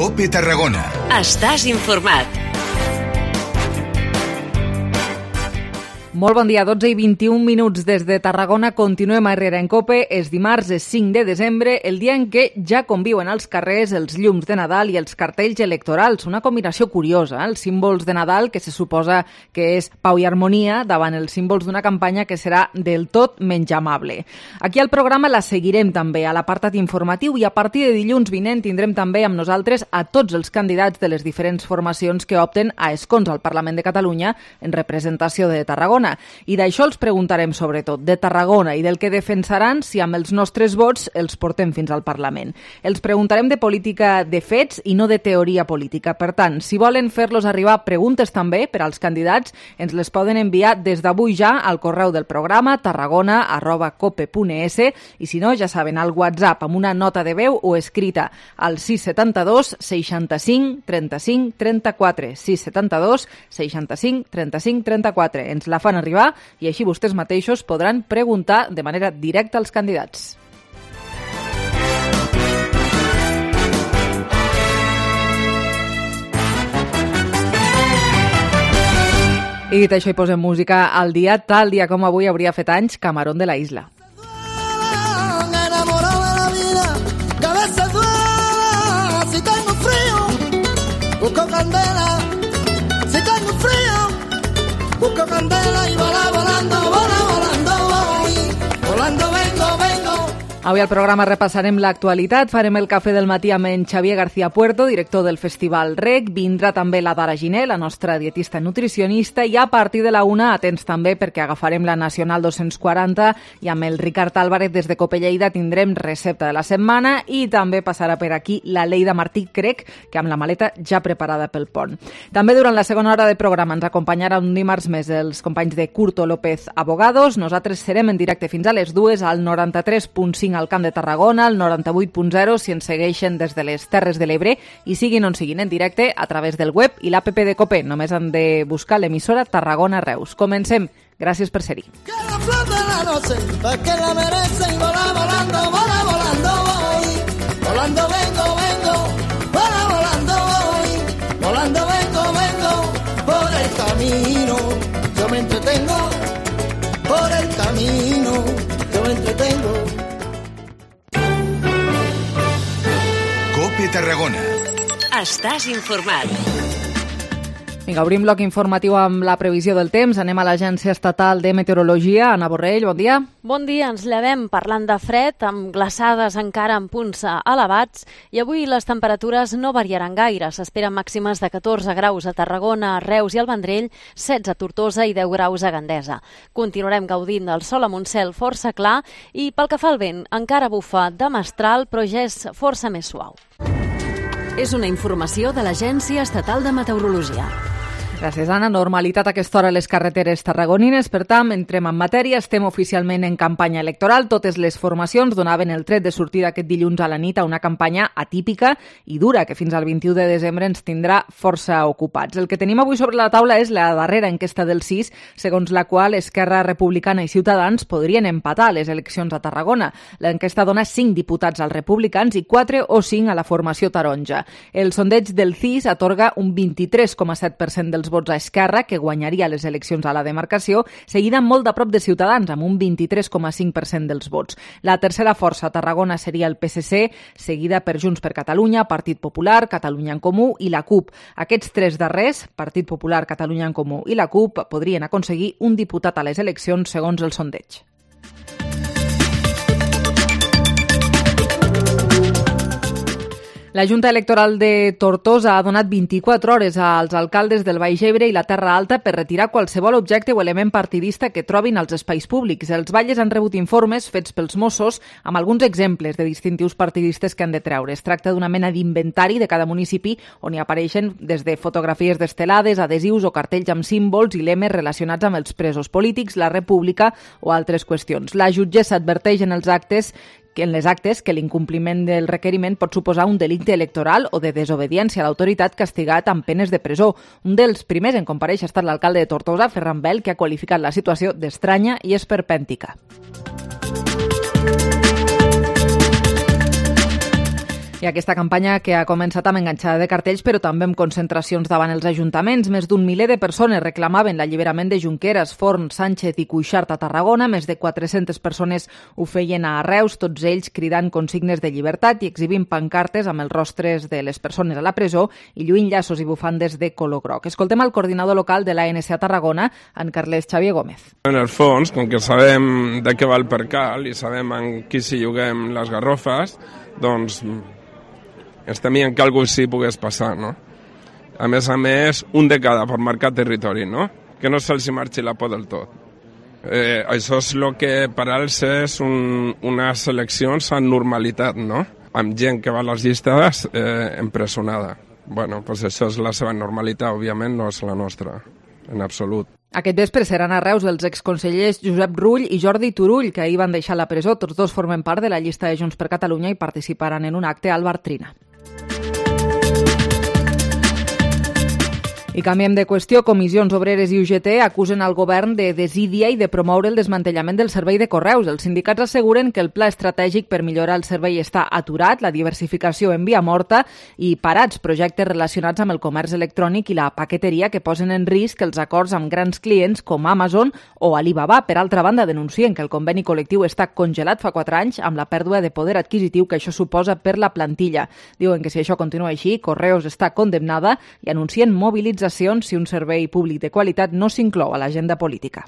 COPE Tarragona. Estàs informat. Molt bon dia, 12 i 21 minuts des de Tarragona. Continuem a Herrera en COPE. És dimarts, és 5 de desembre, el dia en què ja conviuen als carrers els llums de Nadal i els cartells electorals. Una combinació curiosa, els símbols de Nadal, que se suposa que és pau i harmonia, davant els símbols d'una campanya que serà del tot menys amable. Aquí al programa la seguirem també a l'apartat informatiu i a partir de dilluns vinent tindrem també amb nosaltres a tots els candidats de les diferents formacions que opten a escons al Parlament de Catalunya en representació de Tarragona. I d'això els preguntarem sobretot, de Tarragona i del que defensaran si amb els nostres vots els portem fins al Parlament. Els preguntarem de política de fets i no de teoria política. Per tant, si volen fer-los arribar preguntes també per als candidats, ens les poden enviar des d'avui ja al correu del programa tarragona@cope.es i si no, ja saben, al WhatsApp amb una nota de veu o escrita al 672 65 35 34 672 65 35 34. Ens la fan arribar i així vostès mateixos podran preguntar de manera directa als candidats. I dit això, hi posem música al dia. Tal dia com avui hauria fet anys Camarón de la Isla. Enamorado de la vida, que a veces duela, si tengo frío, busco candela, si tengo frío, busco candela y volando voy, volando vengo. Avui al programa repassarem l'actualitat, farem el cafè del matí amb en Xavier García Puerto, director del Festival REC, vindrà també la Dara Giner, la nostra dietista nutricionista, i a partir de la 1, atents també perquè agafarem la Nacional 240 i amb el Ricard Álvarez des de Cope Lleida tindrem recepta de la setmana i també passarà per aquí la Leida Martí, crec que amb la maleta ja preparada pel pont. També durant la segona hora de programa ens acompanyarà un dimarts més els companys de Curto López Abogados. Nosaltres serem en directe fins a les 2 al 93.5 al Camp de Tarragona, al 98.0 si ens segueixen des de les Terres de l'Ebre i siguin on siguin en directe a través del web i l'APP de COPE. Només han de buscar l'emissora Tarragona Reus. Comencem. Gràcies per ser-hi. Que la flor de la noche, que la merece y volando voy, volando vengo, volando voy, volando vengo, por el camino, yo me entretengo, por el camino, yo me entretengo. COPE Tarragona. Estàs informat. Vinga, obrim bloc informatiu amb la previsió del temps. Anem a l'Agència Estatal de Meteorologia. Anna Borrell, bon dia. Bon dia, ens llevem parlant de fred, amb glaçades encara en punts elevats, i avui les temperatures no variaran gaire. S'esperen màximes de 14 graus a Tarragona, a Reus i al Vendrell, 16 a Tortosa i 10 graus a Gandesa. Continuarem gaudint del sol amb un cel força clar i pel que fa al vent, encara bufa de mestral, però ja és força més suau. És una informació de l'Agència Estatal de Meteorologia. Gràcies, Anna. Normalitat a aquesta hora a les carreteres tarragonines. Per tant, entrem en matèria. Estem oficialment en campanya electoral. Totes les formacions donaven el tret de sortida aquest dilluns a la nit a una campanya atípica i dura, que fins al 21 de desembre ens tindrà força ocupats. El que tenim avui sobre la taula és la darrera enquesta del CIS, segons la qual Esquerra Republicana i Ciutadans podrien empatar les eleccions a Tarragona. L'enquesta dona 5 diputats als republicans i 4 o 5 a la formació taronja. El sondeig del CIS atorga un 23,7% dels vots a Esquerra, que guanyaria les eleccions a la demarcació, seguida molt de prop de Ciutadans, amb un 23,5% dels vots. La tercera força a Tarragona seria el PSC, seguida per Junts per Catalunya, Partit Popular, Catalunya en Comú i la CUP. Aquests tres darrers, Partit Popular, Catalunya en Comú i la CUP, podrien aconseguir un diputat a les eleccions segons el sondeig. La Junta Electoral de Tortosa ha donat 24 hores als alcaldes del Baix Ebre i la Terra Alta per retirar qualsevol objecte o element partidista que trobin als espais públics. Els batlles han rebut informes fets pels Mossos amb alguns exemples de distintius partidistes que han de treure. Es tracta d'una mena d'inventari de cada municipi on hi apareixen des de fotografies d'estelades, adhesius o cartells amb símbols i lemes relacionats amb els presos polítics, la república o altres qüestions. La jutgessa adverteix en les actes que l'incompliment del requeriment pot suposar un delicte electoral o de desobediència a l'autoritat castigat amb penes de presó. Un dels primers en comparèixer ha estat l'alcalde de Tortosa, Ferran Bel, que ha qualificat la situació d'estranya i esperpèntica. I aquesta campanya que ha començat amb enganxada de cartells, però també amb concentracions davant els ajuntaments. Més d'un miler de persones reclamaven l'alliberament de Junqueras, Forn, Sánchez i Cuixart a Tarragona. Més de 400 persones ho feien a Reus, tots ells cridant consignes de llibertat i exhibint pancartes amb els rostres de les persones a la presó i lluint llaços i bufandes de color groc. Escoltem el coordinador local de l'ANC a Tarragona, en Carles Xavier Gómez. En el fons, com que sabem de què va el percal i sabem en qui s'hi juguem les garrofes, doncs ens temien que alguna cosa sí pogués passar, no? A més, un de cada per marcar territori, no? Que no se'ls marxi la por del tot. Això és el que per ells és unes eleccions amb normalitat, no? Amb gent que va a les llistes empresonada. Bueno, doncs això és la seva normalitat, òbviament no és la nostra, en absolut. Aquest vespre seran a Reus els exconsellers Josep Rull i Jordi Turull, que ahir van deixar la presó. Tots dos formen part de la llista de Junts per Catalunya i participaran en un acte al Bartrina. I canviem de qüestió. Comissions Obreres i UGT acusen al govern de desídia i de promoure el desmantellament del servei de correus. Els sindicats asseguren que el pla estratègic per millorar el servei està aturat, la diversificació en via morta i parats projectes relacionats amb el comerç electrònic i la paqueteria que posen en risc els acords amb grans clients com Amazon o Alibaba. Per altra banda, denuncien que el conveni col·lectiu està congelat fa 4 anys amb la pèrdua de poder adquisitiu que això suposa per la plantilla. Diuen que si això continua així, Correos està condemnada i anuncien mobilització si un servei públic de qualitat no s'inclou a l'agenda política.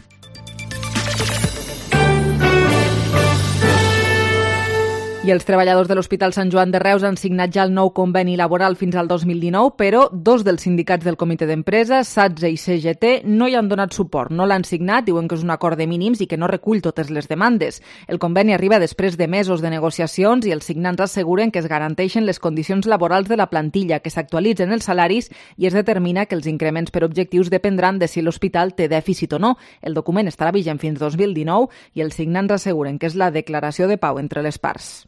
I els treballadors de l'Hospital Sant Joan de Reus han signat ja el nou conveni laboral fins al 2019, però 2 dels sindicats del comitè d'empresa, SATSE i CGT, no hi han donat suport. No l'han signat, diuen que és un acord de mínims i que no recull totes les demandes. El conveni arriba després de mesos de negociacions i els signants asseguren que es garanteixen les condicions laborals de la plantilla, que s'actualitzen els salaris i es determina que els increments per objectius dependran de si l'hospital té dèficit o no. El document estarà vigent fins 2019 i els signants asseguren que és la declaració de pau entre les parts.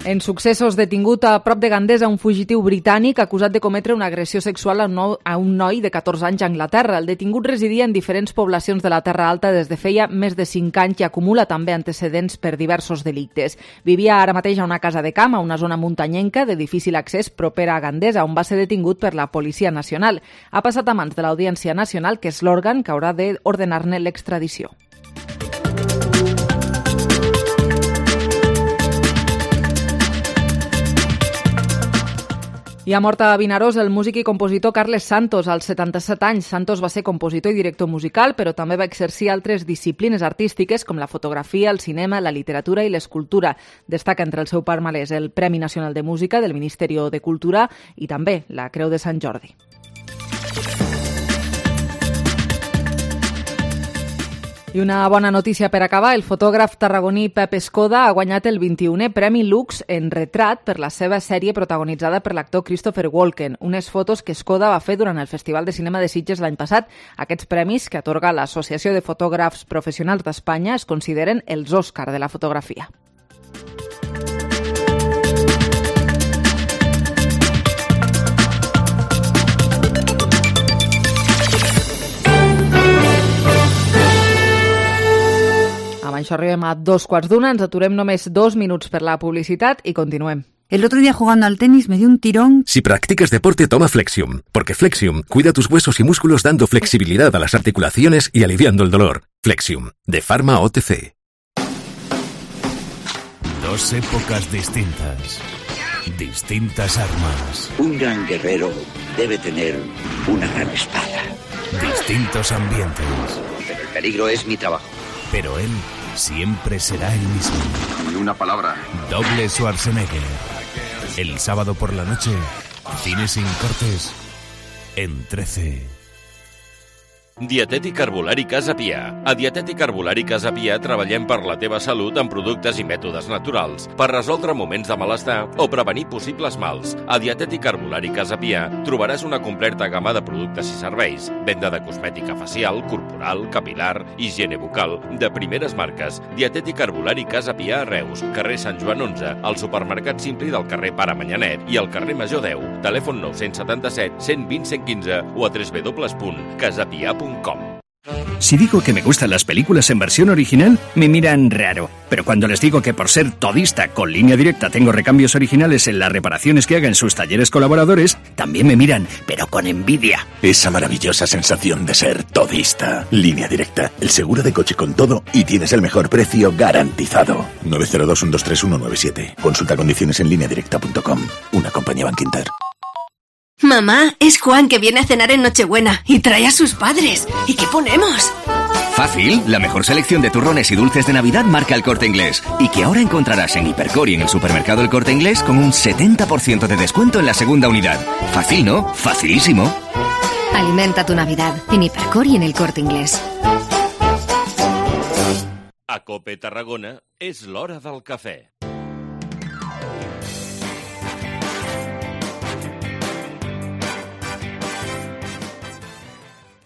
En successos, detingut a prop de Gandesa un fugitiu britànic acusat de cometre una agressió sexual a un noi de 14 anys a Anglaterra. El detingut residia en diferents poblacions de la Terra Alta des de feia més de 5 anys i acumula també antecedents per diversos delictes. Vivia ara mateix a una casa de camp, a una zona muntanyenca de difícil accés propera a Gandesa, on va ser detingut per la Policia Nacional. Ha passat a mans de l'Audiència Nacional, que és l'òrgan que haurà d'ordenar-ne l'extradició. I ha mort a Vinaròs el músic i compositor Carles Santos, als 77 anys. Santos va ser compositor i director musical, però també va exercir altres disciplines artístiques com la fotografia, el cinema, la literatura i l'escultura. Destaca entre el seu palmarès el Premi Nacional de Música del Ministeri de Cultura i també la Creu de Sant Jordi. I una bona notícia per acabar. El fotògraf tarragoní Pep Escoda ha guanyat el 21è Premi Lux en retrat per la seva sèrie protagonitzada per l'actor Christopher Walken. Unes fotos que Escoda va fer durant el Festival de Cinema de Sitges l'any passat. Aquests premis, que atorga l'Associació de Fotògrafs Professionals d'Espanya, es consideren els Òscar de la fotografia. Amb això arribem a 2:15, ens aturem només 2 minuts per la publicitat i continuem. El otro día jugando al tenis me dio un tirón. Si practicas deporte, toma Flexium, porque Flexium cuida tus huesos y músculos dando flexibilidad a las articulaciones y aliviando el dolor. Flexium, de Pharma OTC. 2 épocas distintas, distintas armas. Un gran guerrero debe tener una gran espada. Distintos ambientes. Pero el peligro es mi trabajo. Pero él siempre será el mismo. Ni una palabra. Doble Schwarzenegger. El sábado por la noche, cine sin cortes, en 13. Dietètic Herbolari Casa Pia. A Dietètic Herbolari Casa Pia treballem per la teva salut amb productes i mètodes naturals, per resoldre moments de malestar o prevenir possibles mals. A Dietètic Herbolari Casa Pia trobaràs una completa gamma de productes i serveis, venda de cosmètica facial, corporal, capilar, higiene bucal, de primeres marques. Dietètic Herbolari Casa Pia a Reus, carrer Sant Joan 11, al supermercat Simpli del carrer Pare Manyanet i al carrer Major 10. Telèfon 977 120 115 o a www.casapia.com. Si digo que me gustan las películas en versión original, me miran raro. Pero cuando les digo que por ser todista con Línea Directa tengo recambios originales en las reparaciones que haga en sus talleres colaboradores, también me miran, pero con envidia. Esa maravillosa sensación de ser todista. Línea Directa, el seguro de coche con todo y tienes el mejor precio garantizado. 902-123-197. Consulta condiciones en lineadirecta.com. Una compañía Bankinter. Mamá, es Juan que viene a cenar en Nochebuena y trae a sus padres. ¿Y qué ponemos? Fácil, la mejor selección de turrones y dulces de Navidad marca El Corte Inglés. Y que ahora encontrarás en Hipercor y en el supermercado El Corte Inglés con un 70% de descuento en la segunda unidad. Fácil, ¿no? Facilísimo. Alimenta tu Navidad en Hipercor y en El Corte Inglés. A Cope Tarragona és l'hora del cafè.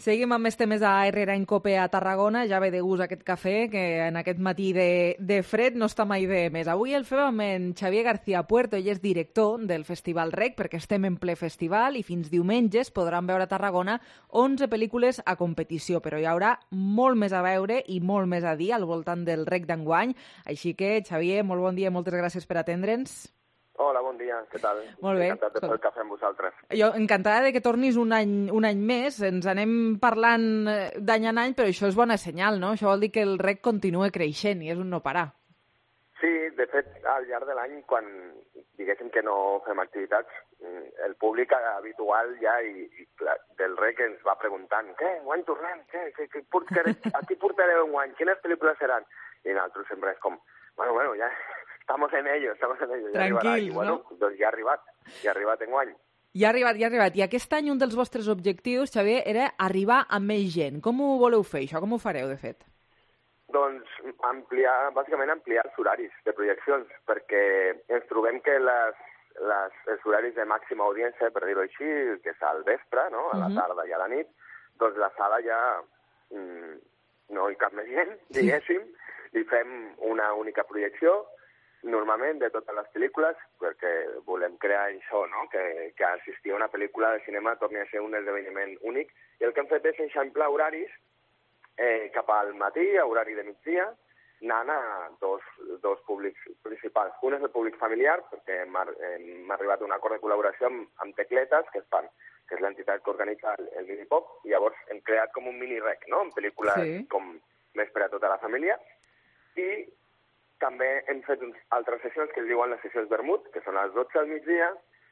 Seguim amb més temes a Herrera en Cope a Tarragona. Ja ve de gust aquest cafè, que en aquest matí de fred no està mai de més. Avui el fem amb en Xavier García Puerto. Ell és director del Festival Rec, perquè estem en ple festival i fins diumenges podran veure a Tarragona 11 pel·lícules a competició, però hi haurà molt més a veure i molt més a dir al voltant del Rec d'enguany. Així que, Xavier, molt bon dia i moltes gràcies per atendre'ns. Hola, bon dia, què tal? Molt bé. Encantat de fer el cafè amb vosaltres. Jo encantada de que tornis un any més. Ens anem parlant d'any en any, però això és bona senyal, no? Això vol dir que el Rec continua creixent i és un no parar. Sí, de fet, al llarg de l'any, quan diguéssim que no fem activitats, el públic habitual ja del Rec ens va preguntant què, enguany tornem? A qui portareu enguany? Quines pel·lícules seran? I nosaltres sempre és com, bueno, ja... Estamos en ello. Tranquils, ja no? Doncs ja ha arribat enguany. Ja ha arribat. I aquest any un dels vostres objectius, Xavier, era arribar a més gent. Com ho voleu fer, això? Com ho fareu, de fet? Doncs bàsicament ampliar els horaris de projeccions, perquè ens trobem que els horaris de màxima audiència, per dir-ho així, que és al vespre, no? A la tarda i a la nit, doncs la sala ja no hi cap més gent, diguéssim, i fem una única projecció, normalment de totes les pel·lícules, perquè volem crear això, no? Que assistir a una pel·lícula de cinema torni a ser un esdeveniment únic. I el que hem fet és eixamplar horaris cap al matí, a horari de migdia, anant a dos públics principals. Un és el públic familiar, perquè hem arribat a un acord de col·laboració amb Tecletes, que és l'entitat que organitza el Minipop, i llavors hem creat com un mini-rec, no? En pel·lícules com més per a tota la família. I també hem fet altres sessions que es diuen les sessions vermut, que són a les 12 al migdia,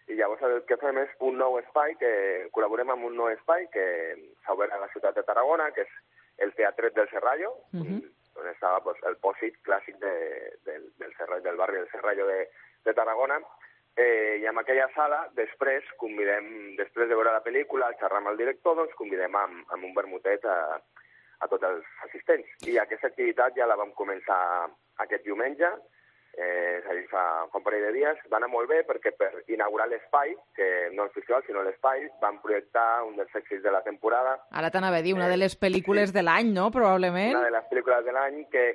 i llavors el que fem és un nou espai, que col·laborem amb un nou espai que s'ha obert a la ciutat de Tarragona, que és el Teatret del Serrallo, on estava el pòsit clàssic del barri del Serrallo de Tarragona, i en aquella sala, després de veure la pel·lícula, al xerrar amb el director, doncs convidem amb un vermutet a tots els assistents. I aquesta activitat ja la vam començar aquest diumenge, és a dir, fa un parell de dies. Va anar molt bé perquè per inaugurar l'espai, que no el festival, sinó l'espai, van projectar un dels èxits de la temporada. Ara t'anava a dir, una de les pel·lícules de l'any, no?, probablement. Una de les pel·lícules de l'any que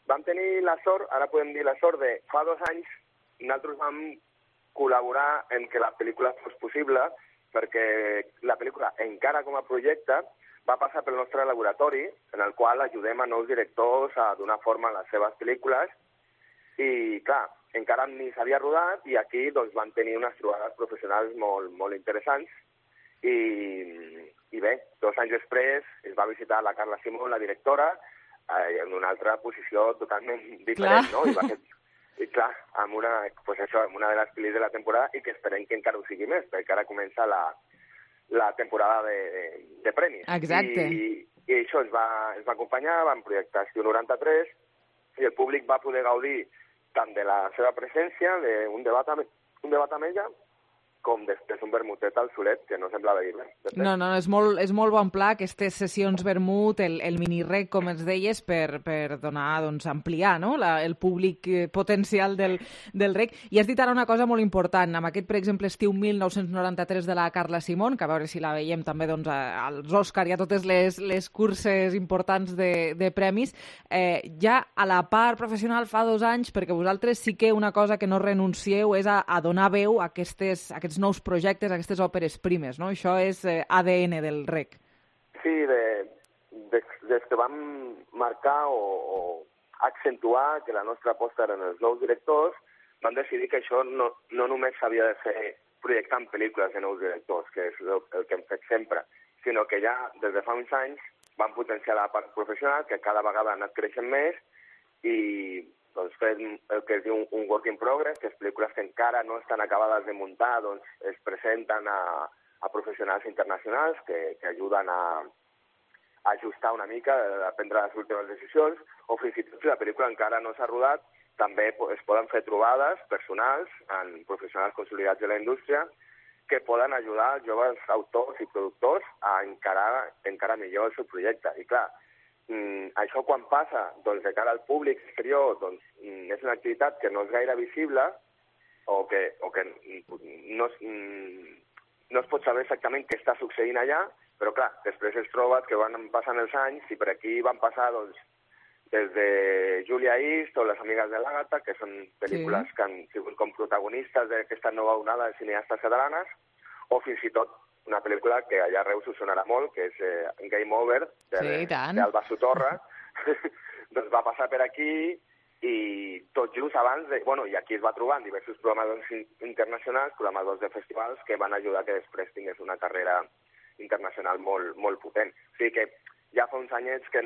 vam tenir la sort, ara podem dir la sort de fa 2 anys, nosaltres vam col·laborar en que la pel·lícula fos possible, perquè la pel·lícula, encara com a projecte, va passar pel nostre laboratori, en el qual ajudem a nous directors a donar forma a les seves pel·lícules, i clar, encara ni s'havia rodat, i aquí doncs, van tenir unes trobades professionals molt interessants, i bé, 2 anys després es va visitar la Carla Simón, la directora, en una altra posició totalment diferent, no? I clar, amb una de les pel·lis de la temporada, i que esperem que encara ho sigui més, perquè ara comença la temporada de premis. Exacte. I això ens va acompanyar, vam projectar Estiu 93, i el públic va poder gaudir tant de la seva presència, d'un debat amb ella, com després un vermutet al solet, que no semblava dir res. No, és molt bon pla, aquestes sessions vermut, el mini-rec, com ens deies, per donar, doncs, ampliar, no?, el públic potencial del rec. I has dit ara una cosa molt important, amb aquest, per exemple, Estiu 1993 de la Carla Simón, que a veure si la veiem també, doncs, als Òscar i a totes les curses importants de premis, ja a la part professional fa 2 anys, perquè vosaltres sí que una cosa que no renuncieu és a donar veu a aquests nous projectes, aquestes òperes primes, no? Això és ADN del rec. Sí, des que vam marcar o accentuar que la nostra aposta eren els nous directors, vam decidir que això no només s'havia de fer projectant pel·lícules de nous directors, que és el que hem fet sempre, sinó que ja des de fa uns anys vam potenciar la part professional, que cada vegada ha anat creixent més, i doncs fem el que es diu un work in progress, que és pel·lícules que encara no estan acabades de muntar, doncs es presenten a professionals internacionals que ajuden a ajustar una mica, a prendre les últimes decisions, o fins i tot si la pel·lícula encara no s'ha rodat, també es poden fer trobades personals en professionals consolidats de la indústria que poden ajudar els joves autors i productors a encarar millor el seu projecte. I clar, això quan passa doncs, de cara al públic exterior, doncs, és una activitat que no és gaire visible o que no es pot saber exactament què està succeint allà, però clar, després es troba que van passant els anys i per aquí van passar doncs, des de Julia East o Les amigues de l'Àgata, que són pel·lícules que han sigut com protagonistes d'aquesta nova onada de cineastes catalanes, o fins i tot una pel·lícula que allà a Reus us sonarà molt, que és Game Over, d'Alba Sotorra, doncs va passar per aquí i tot just abans, i aquí es va trobar en diversos programadors internacionals, programadors de festivals, que van ajudar que després tingués una carrera internacional molt potent. O sigui que ja fa uns anyets que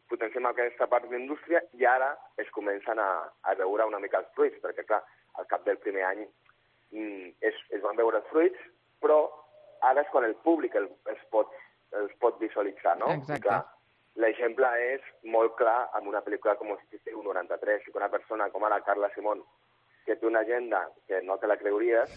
potenciem aquesta part d'indústria i ara es comencen a veure una mica els fruits, perquè clar, al cap del primer any es van veure els fruits, però ara és quan el públic els pot visualitzar, no? Exacte. Clar, l'exemple és molt clar amb una pel·lícula com Estiu 93, que una persona com ara Carla Simón, que té una agenda que no te la creuries,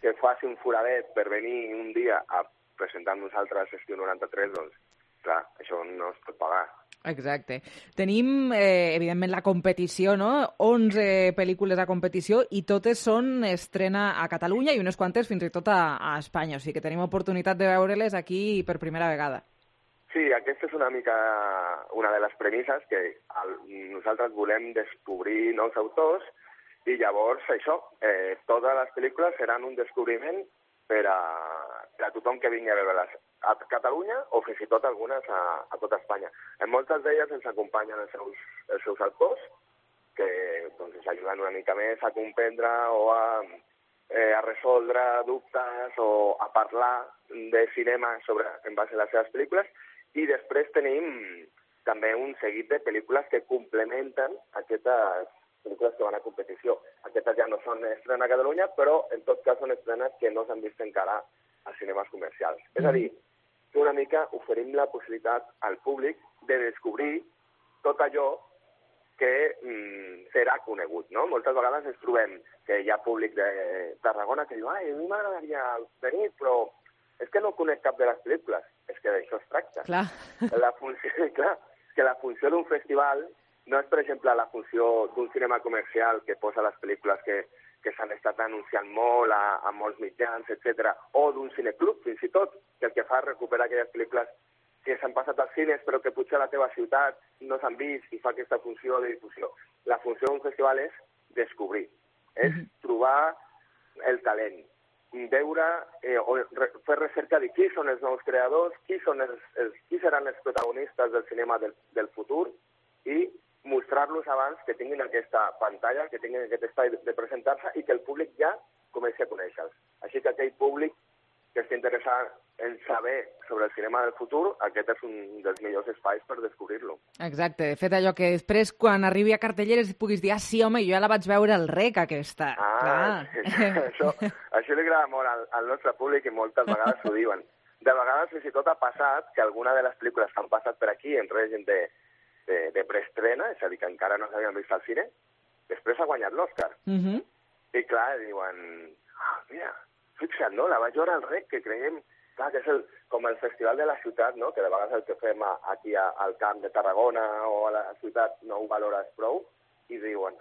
que faci un foradet per venir un dia a presentar amb nosaltres Estiu 93, doncs, clar, això no es pot pagar. Exacte. Tenim, evidentment, la competició, no? 11 pel·lícules a competició i totes són estrena a Catalunya i unes quantes fins i tot a Espanya. O sigui que tenim oportunitat de veure-les aquí per primera vegada. Sí, aquesta és una mica una de les premisses que nosaltres volem descobrir nous autors i llavors això, totes les pel·lícules seran un descobriment per a tothom que vingui a veure-les a Catalunya o fins i tot algunes a tota Espanya. En moltes d'elles ens acompanyen els seus autors que doncs, ens ajuden una mica més a comprendre o a resoldre dubtes o a parlar de cinema en base a les seves pel·lícules i després tenim també un seguit de pel·lícules que complementen aquestes pel·lícules que van a competició. Aquestes ja no són estrenes a Catalunya, però en tot cas són estrenes que no s'han vist encara a cinemes comercials. És a dir, que una mica oferim la possibilitat al públic de descobrir tot allò que serà conegut, no? Moltes vegades ens trobem que hi ha públic de Tarragona que diu a mi m'agradaria venir, però és que no conec cap de les pel·lícules. És que d'això es tracta. Clar. Que la funció d'un festival no és, per exemple, la funció d'un cinema comercial que posa les pel·lícules que s'han estat anunciant molt a molts mitjans, etc. O d'un cineclub, fins i tot, que el que fa és recuperar aquelles pel·lícules que s'han passat als cines però que potser a la teva ciutat no s'han vist i fa aquesta funció de difusió. La funció d'un festival és descobrir, és trobar el talent, veure o fer recerca de qui són els nous creadors, qui seran els protagonistes del cinema del futur i mostrar-los abans que tinguin aquesta pantalla, que tinguin aquest espai de presentar-se i que el públic ja comenci a conèixer-los. Així que aquell públic que estigui interessat en saber sobre el cinema del futur, aquest és un dels millors espais per descobrir-lo. Exacte. De fet, allò que després, quan arribi a cartelleres, puguis dir, sí, home, jo ja la vaig veure al REC, aquesta. Això li agrada molt al nostre públic i moltes vegades ho diuen. De vegades, fins i tot ha passat que alguna de les pel·lícules que han passat per aquí en règim de preestrena, és a dir, que encara no s'havien vist al cine, després ha guanyat l'Òscar. I clar, diuen, mira, fixa't, no? La vaig veure al REC, que creiem que és com el festival de la ciutat, no? Que de vegades el que fem aquí al camp de Tarragona o a la ciutat no ho valores prou, i diuen,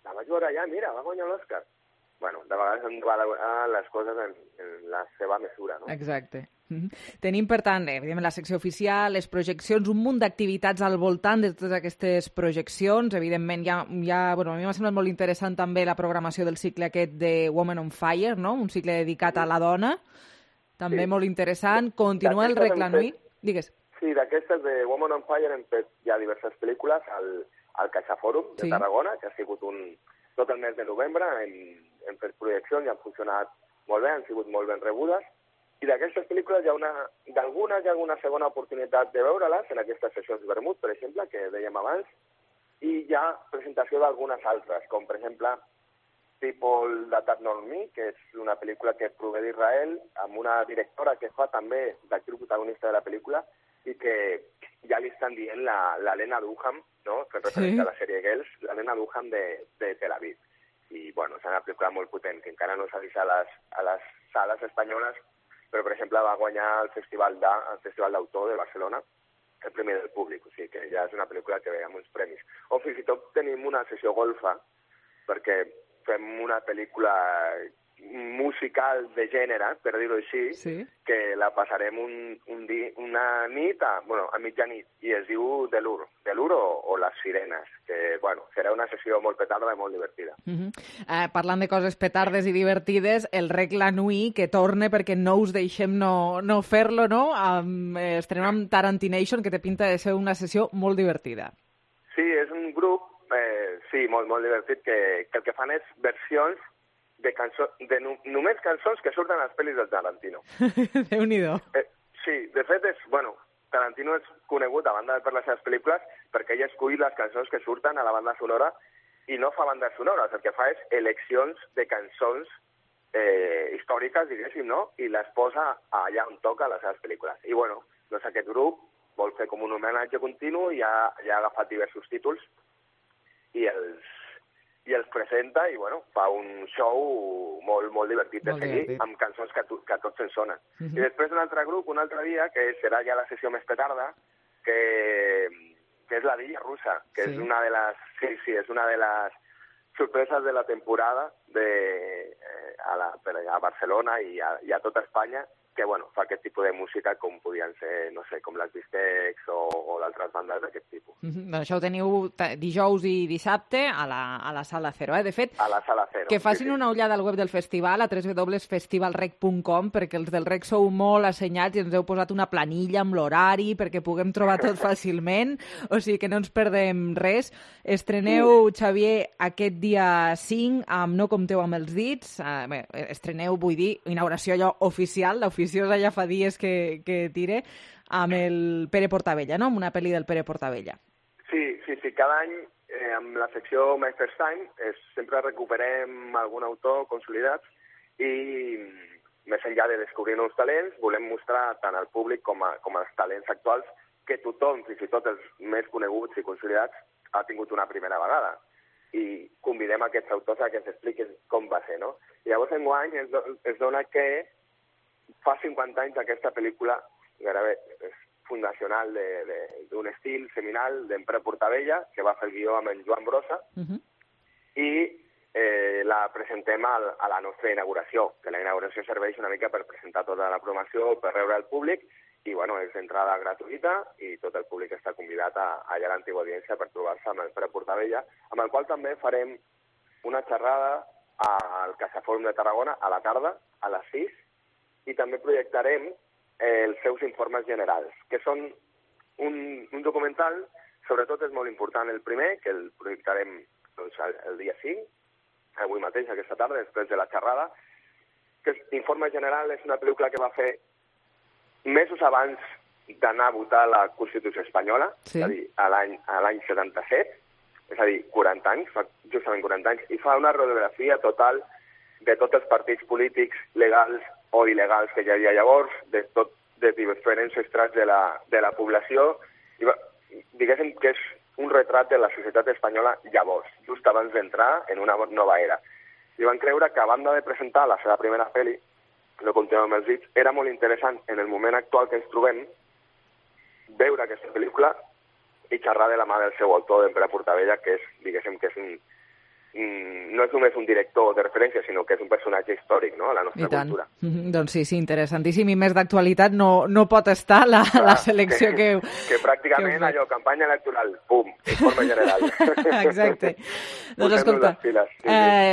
la vaig veure allà, mira, va guanyar l'Òscar. Bueno, de vegades hem de valorar les coses en la seva mesura, no? Exacte. Tenim, per tant, evidentment, la secció oficial, les projeccions, un munt d'activitats al voltant de totes aquestes projeccions. Evidentment, a mi m'ha semblat molt interessant també la programació del cicle aquest de Women on Fire, no? Un cicle dedicat a la dona, també molt interessant. Continua el Recla Nui. Digues. Sí, d'aquestes de Woman on Fire hem fet ja diverses pel·lícules al CaixaFòrum de Tarragona, que ha sigut tot el mes de novembre, hem fet projeccions i han funcionat molt bé, han sigut molt ben rebudes, i d'aquestes pel·lícules d'algunes hi ha alguna segona oportunitat de veure-les en aquestes sessions vermut, per exemple, que dèiem abans, i hi ha presentació d'algunes altres, com per exemple People That Are Not Me, que és una pel·lícula que prové d'Israel, amb una directora que fa també d'actriu protagonista de la pel·lícula, i que ja li estan dient la Lena Dunham, no? Fent referència a la sèrie Girls, la Lena Dunham de Tel Aviv. I, bueno, és una pel·lícula molt potent, que encara no s'ha vist a les sales espanyoles, però, per exemple, va guanyar el Festival d'Autor de Barcelona, el Premi del Públic, o sigui que ja és una pel·lícula que ve amb uns premis. O fins i tot tenim una sessió golfa, perquè fem una pel·lícula musical de gènere, per dir-ho així, que la passarem una nit, a mitjanit, i es diu De l'Ur o Les Sirenes, que, bueno, serà una sessió molt petarda i molt divertida. Parlant de coses petardes i divertides, el Rec La Nui, que torna perquè no us deixem no fer-lo, no? Estrenem amb Tarantination, que té pinta de ser una sessió molt divertida. Sí, és un grup, molt divertit, que el que fan és versions de només cançons que surten a les pel·lis del Tarantino. Déu-n'hi-do. Sí, de fet, Tarantino és conegut, a banda de per les seves pel·lícules, perquè ell escull les cançons que surten a la banda sonora i no fa bandes sonores, el que fa és eleccions de cançons històriques, diguéssim, no? I les posa allà on toca a les seves pel·lícules. I, bueno, doncs aquest grup vol fer com un homenatge continu i ha agafat diversos títols i els presenta i, bueno, fa un show molt divertit de seguir, amb cançons que a tots ens sonen. I després un altre grup, un altre dia, que serà ja la sessió més petarda, que és la Dilla Russa, que és una de les sorpreses de la temporada a Barcelona i a tota Espanya, que, bueno, fa aquest tipus de música com podien ser, no sé, com les Bistecs o d'altres bandes d'aquest tipus. Doncs això ho teniu dijous i dissabte a la Sala Cero. De fet, a la Sala Cero. Que facin una ullada al web del festival, a www.festivalrec.com, perquè els del Rec sou molt assenyats i ens heu posat una planilla amb l'horari perquè puguem trobar tot fàcilment, o sigui que no ens perdem res. Estreneu, Xavier, aquest dia 5 amb No compteu amb els dits. Estreneu, vull dir, inauguració allò oficial, l'oficiosa ja fa dies que tire, amb el Pere Portabella, no? Amb una pel·li del Pere Portabella. Sí. Cada any, amb la secció Master's Time, sempre recuperem algun autor consolidat i, més enllà de descobrir nous talents, volem mostrar tant al públic com als talents actuals que tothom, fins i tot els més coneguts i consolidats, ha tingut una primera vegada. I convidem aquests autors a que ens expliquin com va ser, no? I llavors, enguany, es dona que fa 50 anys aquesta pel·lícula gairebé fundacional d'un estil seminal d'en Pere Portabella, que va fer el guió amb en Joan Brossa, i la presentem a la nostra inauguració, que la inauguració serveix una mica per presentar tota la programació, per rebre al públic, i, bueno, és d'entrada gratuïta i tot el públic està convidat allà a l'antiga audiència per trobar-se amb el Pere Portabella, amb el qual també farem una xerrada al CaixaFòrum de Tarragona a la tarda, a les 6, i també projectarem els seus informes generals, que són un documental, sobretot és molt important el primer, que el projectarem el dia 5, avui mateix, aquesta tarda, després de la xerrada, que Informe General és una pel·lícula que va fer mesos abans d'anar a votar la Constitució espanyola, és a dir, a l'any 77, és a dir, 40 anys, fa justament 40 anys, i fa una radiografia total de tots els partits polítics legals o il·legals que hi havia llavors, de diferents estrats de la població, i diguéssim que és un retrat de la societat espanyola llavors, just abans d'entrar en una nova era. I van creure que, a banda de presentar la seva primera pel·li, No compteu amb els dits, era molt interessant, en el moment actual que ens trobem, veure aquesta pel·lícula i xerrar de la mà del seu autor, d'en Pere Portabella, que és, diguéssim, que és no és només un director de referència, sinó que és un personatge històric, no?, a la nostra cultura. Doncs sí, interessantíssim. I més d'actualitat no pot estar la selecció que... Que pràcticament allò, campanya electoral, pum, informe general. Exacte. Doncs escolta,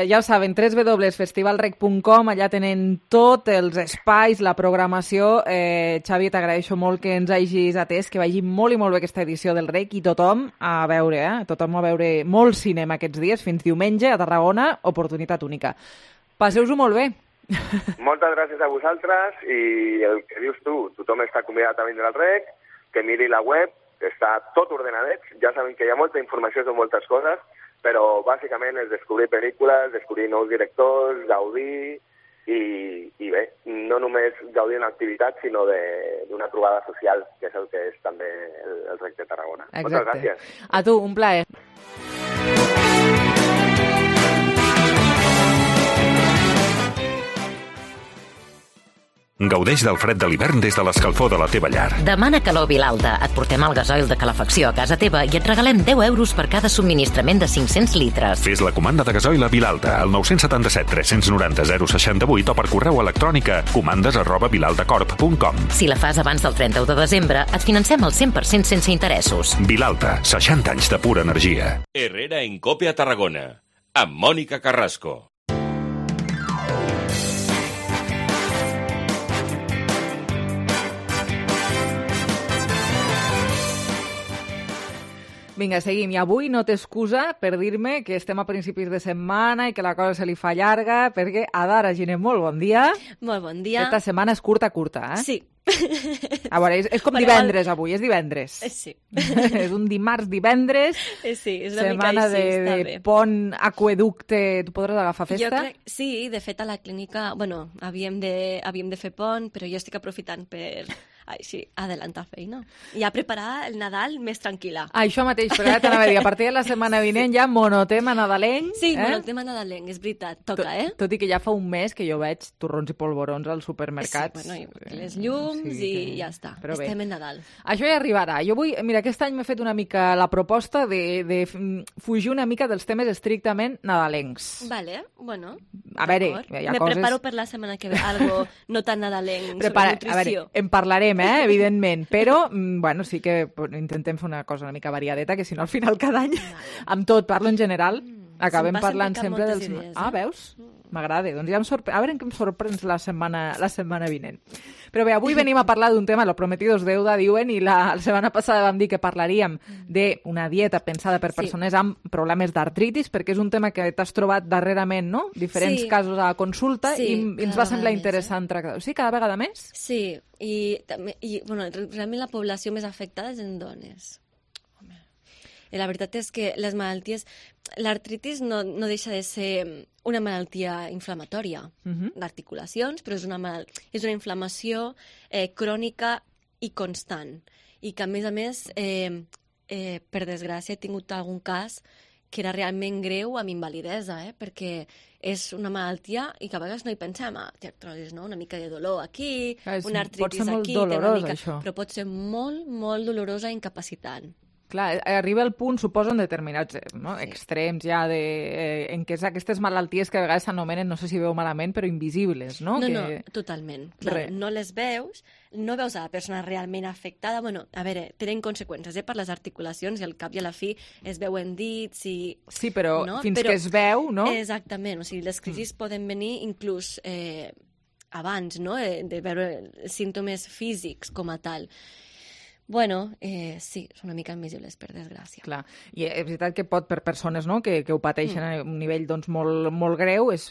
ja ho saben, www.festivalrec.com, allà tenen tots els espais, la programació. Xavi, t'agraeixo molt que ens hagis atès, que vagi molt i molt bé aquesta edició del Rec, i tothom a veure, tothom a veure molt cinema aquests dies, fins diumenge a Tarragona, oportunitat única. Passeu-vos molt bé. Moltes gràcies a vosaltres, i el que dius tu, tothom està convidat a vindre al Rec, que miri la web, que està tot ordenadet, ja saben que hi ha molta informació sobre moltes coses, però bàsicament és descobrir pel·lícules, descobrir nous directors, gaudir, i bé, no només gaudir d'una activitat, sinó d'una trobada social, que és el que és també el Rec de Tarragona. Exacte. Moltes gràcies. A tu, un plaer. Gaudeix del fred de l'hivern des de l'escalfor de la teva llar. Demana calor Vilalta. Et portem el gasoil de calefacció a casa teva i et regalem 10 euros per cada subministrament de 500 litres. Fes la comanda de gasoil a Vilalta al 977 390 068 o per correu electrònic a comandes@vilaltacorp.com. Si la fas abans del 31 de desembre, et financem el 100% sense interessos. Vilalta, 60 anys de pura energia. Herrera en Cope a Tarragona, amb Mònica Carrasco. Vinga, seguim. I avui no té excusa per dir-me que estem a principis de setmana i que la cosa se li fa llarga, perquè Adara Giner, molt bon dia. Molt bon dia. Aquesta setmana és curta, eh? Sí. A veure, és com divendres avui, és divendres. Sí. És un divendres. Sí, és una mica setmana així, està bé. de pont aqueducte. Tu podràs agafar festa? Jo crec, sí, de fet a la clínica, bueno, havíem de fer pont, però jo estic aprofitant per... així, adelantar feina. I a preparar el Nadal més tranquil·la. Això mateix, però ara t'anava a dir, a partir de la setmana vinent ja monotema nadalenc. Sí, monotema nadalenc, és veritat, toca, Tot i que ja fa un mes que jo veig torrons i polvorons als supermercats. Sí, bueno, les llums i ja està. Però estem en Nadal. Això ja arribarà. Jo vull, mira, aquest any m'he fet una mica la proposta de fugir una mica dels temes estrictament nadalencs. Vale, bueno. A veure, hi ha Me coses... preparo per la setmana que ve, algo no tan nadalenc sobre nutrició. A veure, en parlarem, evidentment, però bueno, sí que intentem fer una cosa una mica variadeta, que si no al final cada any, amb tot, parlo en general, acabem parlant sempre dels... Idees, veus? M'agrada. Doncs ja a veure en què em sorprens la setmana vinent. Però bé, avui venim a parlar d'un tema, lo prometido es deuda, diuen, i la setmana passada vam dir que parlaríem d'una dieta pensada per persones amb problemes d'artritis, perquè és un tema que t'has trobat darrerament, no? Diferents casos a la consulta, i ens va semblar interessant tractar. Sí, cada vegada més? Sí, i bueno, realment la població més afectada és en dones. I la veritat és que les malalties... L'artritis no deixa de ser una malaltia inflamatòria d'articulacions, però és una inflamació crònica i constant. I que, a més, per desgràcia, he tingut algun cas que era realment greu amb invalidesa, perquè és una malaltia i que a vegades no hi pensem, artrosis, no? Una mica de dolor aquí, una artritis aquí... Pot ser molt dolorós, això. Però pot ser molt, molt dolorosa i incapacitant. Clar, arriba el punt, suposo, en determinats extrems ja en què aquestes malalties que a vegades s'anomenen, no sé si veu malament, però invisibles, no? No, totalment. Clar, no les veus, no veus a la persona realment afectada. Bueno, a veure, tenen conseqüències per les articulacions i al cap i a la fi es veuen dits i... Sí, però fins que es veu, no? Exactament, o sigui, les crisis poden venir inclús abans, no?, de veure símptomes físics com a tal. Bueno, sí, són una mica invisibles, per desgràcia. Clar, i és veritat que pot, per persones que ho pateixen a un nivell molt greu, és,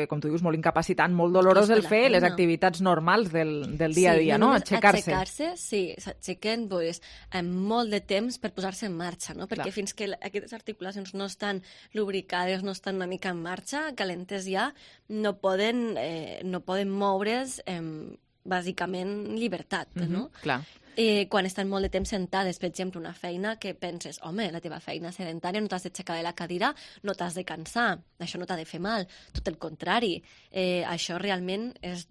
com tu dius, molt incapacitant, molt dolorós el fer les activitats normals del dia a dia, no? Aixecar-se. Aixecar-se, sí, s'aixequen amb molt de temps per posar-se en marxa, no? Perquè fins que aquestes articulacions no estan lubricades, no estan una mica en marxa, calentes ja, no poden moure's bàsicament llibertat, no? Clar. Quan estan molt de temps sentades, per exemple, una feina que penses, home, la teva feina sedentària, no t'has d'aixecar de la cadira, no t'has de cansar, això no t'ha de fer mal, tot el contrari. Això realment és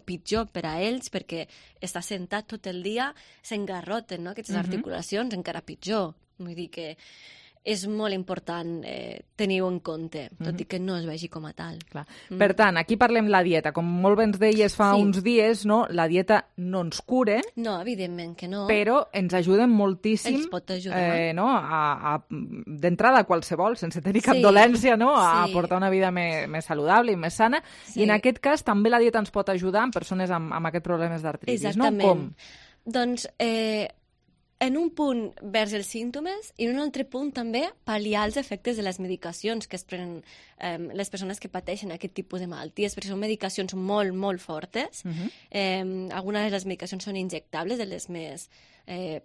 pitjor per a ells, perquè estar sentat tot el dia s'engarroten, no? Aquestes articulacions, encara pitjor. Vull dir que és molt important tenir-ho en compte, tot i que no es vegi com a tal. Clar. Per tant, aquí parlem la dieta. Com molt bé ens deies fa uns dies, no? La dieta no ens cura. No, evidentment que no. Però ens ajuden moltíssim. Ens pot ajudar. No? D'entrada qualsevol, sense tenir cap dolència, no? A portar una vida més saludable i més sana. I en aquest cas també la dieta ens pot ajudar en persones amb aquests problemes d'artritis, no? Com? Doncs en un punt vers els símptomes i en un altre punt també pal·liar els efectes de les medicacions que es prenen les persones que pateixen aquest tipus de malalties, perquè són medicacions molt, molt fortes. Algunes de les medicacions són injectables, de les més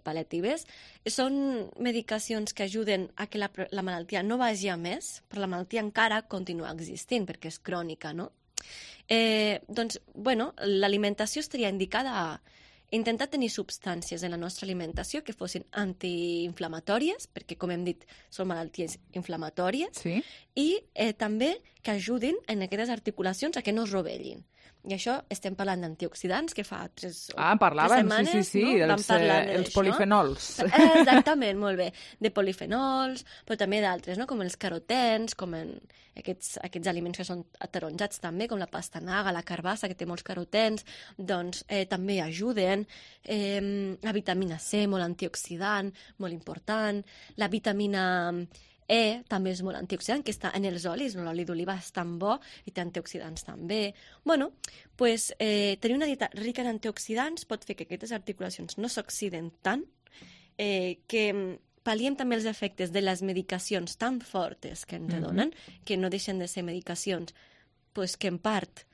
pal·liatives. Són medicacions que ajuden a que la malaltia no vagi a més, però la malaltia encara continua existint, perquè és crònica, no? Doncs, bueno, l'alimentació estaria indicada a intentar tenir substàncies en la nostra alimentació que fossin antiinflamatòries, perquè, com hem dit, són malalties inflamatòries, i també que ajudin en aquestes articulacions a que no es rovellin. I això estem parlant d'antioxidants, que fa 3 setmanes els polifenols. Exactament, molt bé. De polifenols, però també d'altres, no? Com els carotens, com aquests aliments que són ataronjats també, com la pastanaga, la carbassa, que té molts carotens, doncs també ajuden. La vitamina C, molt antioxidant, molt important. La vitamina també és molt antioxidant, que està en els olis, no? L'oli d'oliva és tan bo i té antioxidants també. Bueno, doncs tenir una dieta rica en antioxidants pot fer que aquestes articulacions no s'oxiden tant, que pal·liem també els efectes de les medicacions tan fortes que ens donen, que no deixen de ser medicacions que en part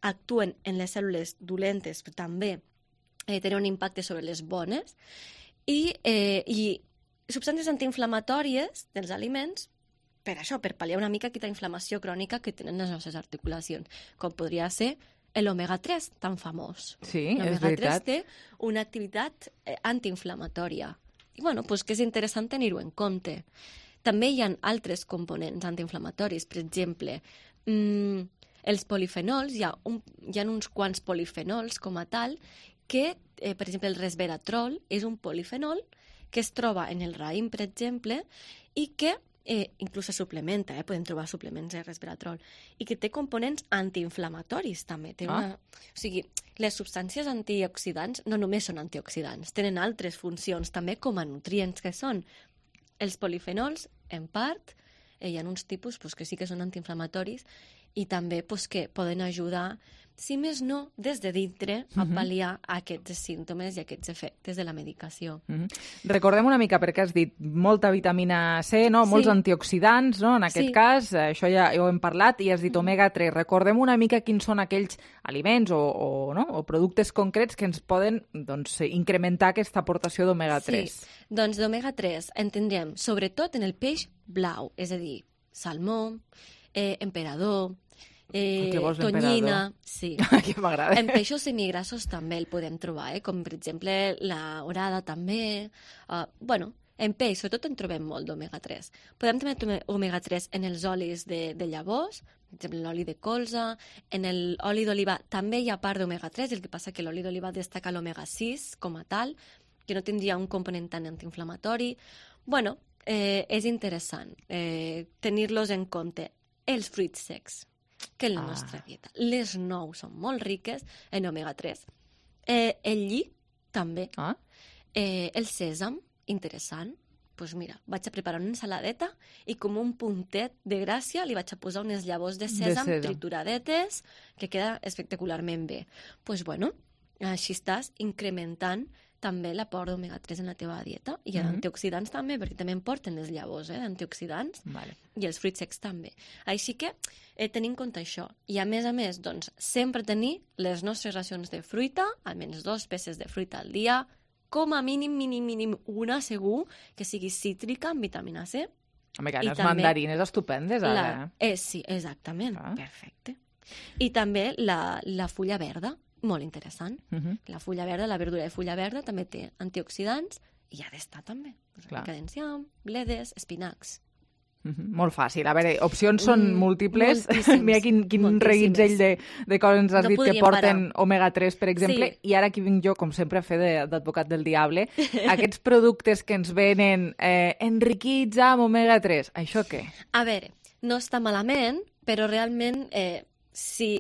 actuen en les cèl·lules dolentes, però també tenen un impacte sobre les bones, i substàncies antiinflamatòries dels aliments per això, per pal·liar una mica aquesta inflamació crònica que tenen les nostres articulacions, com podria ser l'omega-3, tan famós. Sí, és veritat. L'omega-3 té una activitat antiinflamatòria. I bueno, doncs que és interessant tenir-ho en compte. També hi ha altres components antiinflamatoris, per exemple, els polifenols, hi ha uns quants polifenols com a tal, que, per exemple, el resveratrol és un polifenol que es troba en el raïm, per exemple, i que inclús se suplementa, podem trobar suplements de resveratrol, i que té components antiinflamatoris també. O sigui, les substàncies antioxidants no només són antioxidants, tenen altres funcions també com a nutrients que són. Els polifenols, en part, hi ha uns tipus que sí que són antiinflamatoris i també que poden ajudar, si més no, des de dintre, a pal·liar aquests símptomes i aquests efectes de la medicació. Recordem una mica, perquè has dit molta vitamina C, no? Molts antioxidants, no? En aquest cas, això ja ho hem parlat, i has dit omega-3. Recordem una mica quins són aquells aliments o productes concrets que ens poden incrementar aquesta aportació d'omega-3. Sí, doncs d'omega-3 en tindrem sobretot en el peix blau, és a dir, salmó, emperador, tonyina, sí. Que m'agrada. En peixos semigrassos també el podem trobar, com per exemple la orada també. En peix, sobretot en trobem molt d'omega-3. Podem també trobar omega-3 en els olis de llavors, per exemple l'oli de colza, en l'oli d'oliva també hi ha part d'omega-3, el que passa que l'oli d'oliva destaca l'omega-6 com a tal, que no tindria un component tan antiinflamatori. Bueno, és interessant tenir-los en compte. Els fruits secs, que en la nostra dieta. Les nous són molt riques en omega-3. El lli, també. El sèsam, interessant. Doncs mira, vaig a preparar una ensaladeta i com un puntet de gràcia li vaig a posar unes llavors de sèsam trituradetes, que queda espectacularment bé. Doncs bueno, així estàs incrementant també l'aport d'omega-3 en la teva dieta, i antioxidants també, perquè també en porten les llavors d'antioxidants, i els fruits secs també. Així que tenir en compte això. I a més, doncs, sempre tenir les nostres racions de fruita, almenys 2 peces de fruita al dia, com a mínim una segur, que sigui cítrica amb vitamina C. Home, que les mandarines estupendes, ara. Sí, exactament, perfecte. I també la fulla verda, molt interessant. La fulla verda, la verdura de fulla verda, també té antioxidants i ha d'estar també. Una mica d'enciam, bledes, espinacs. Molt fàcil. A veure, opcions són múltiples. Mira quin reguitzell de coses ens has dit que porten omega-3, per exemple, i ara aquí vinc jo, com sempre, a fer d'advocat del diable. Aquests productes que ens venen enriquits amb omega-3, això què? A veure, no està malament, però realment, si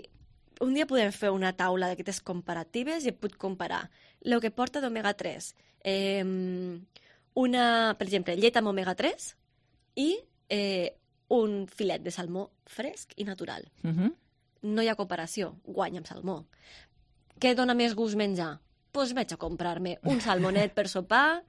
un dia podem fer una taula d'aquestes comparatives i puc comparar el que porta d'omega-3, per exemple, llet amb omega-3 i un filet de salmó fresc i natural. No hi ha comparació, guanya amb salmó. Què dona més gust menjar? Doncs vaig a comprar-me un salmonet per sopar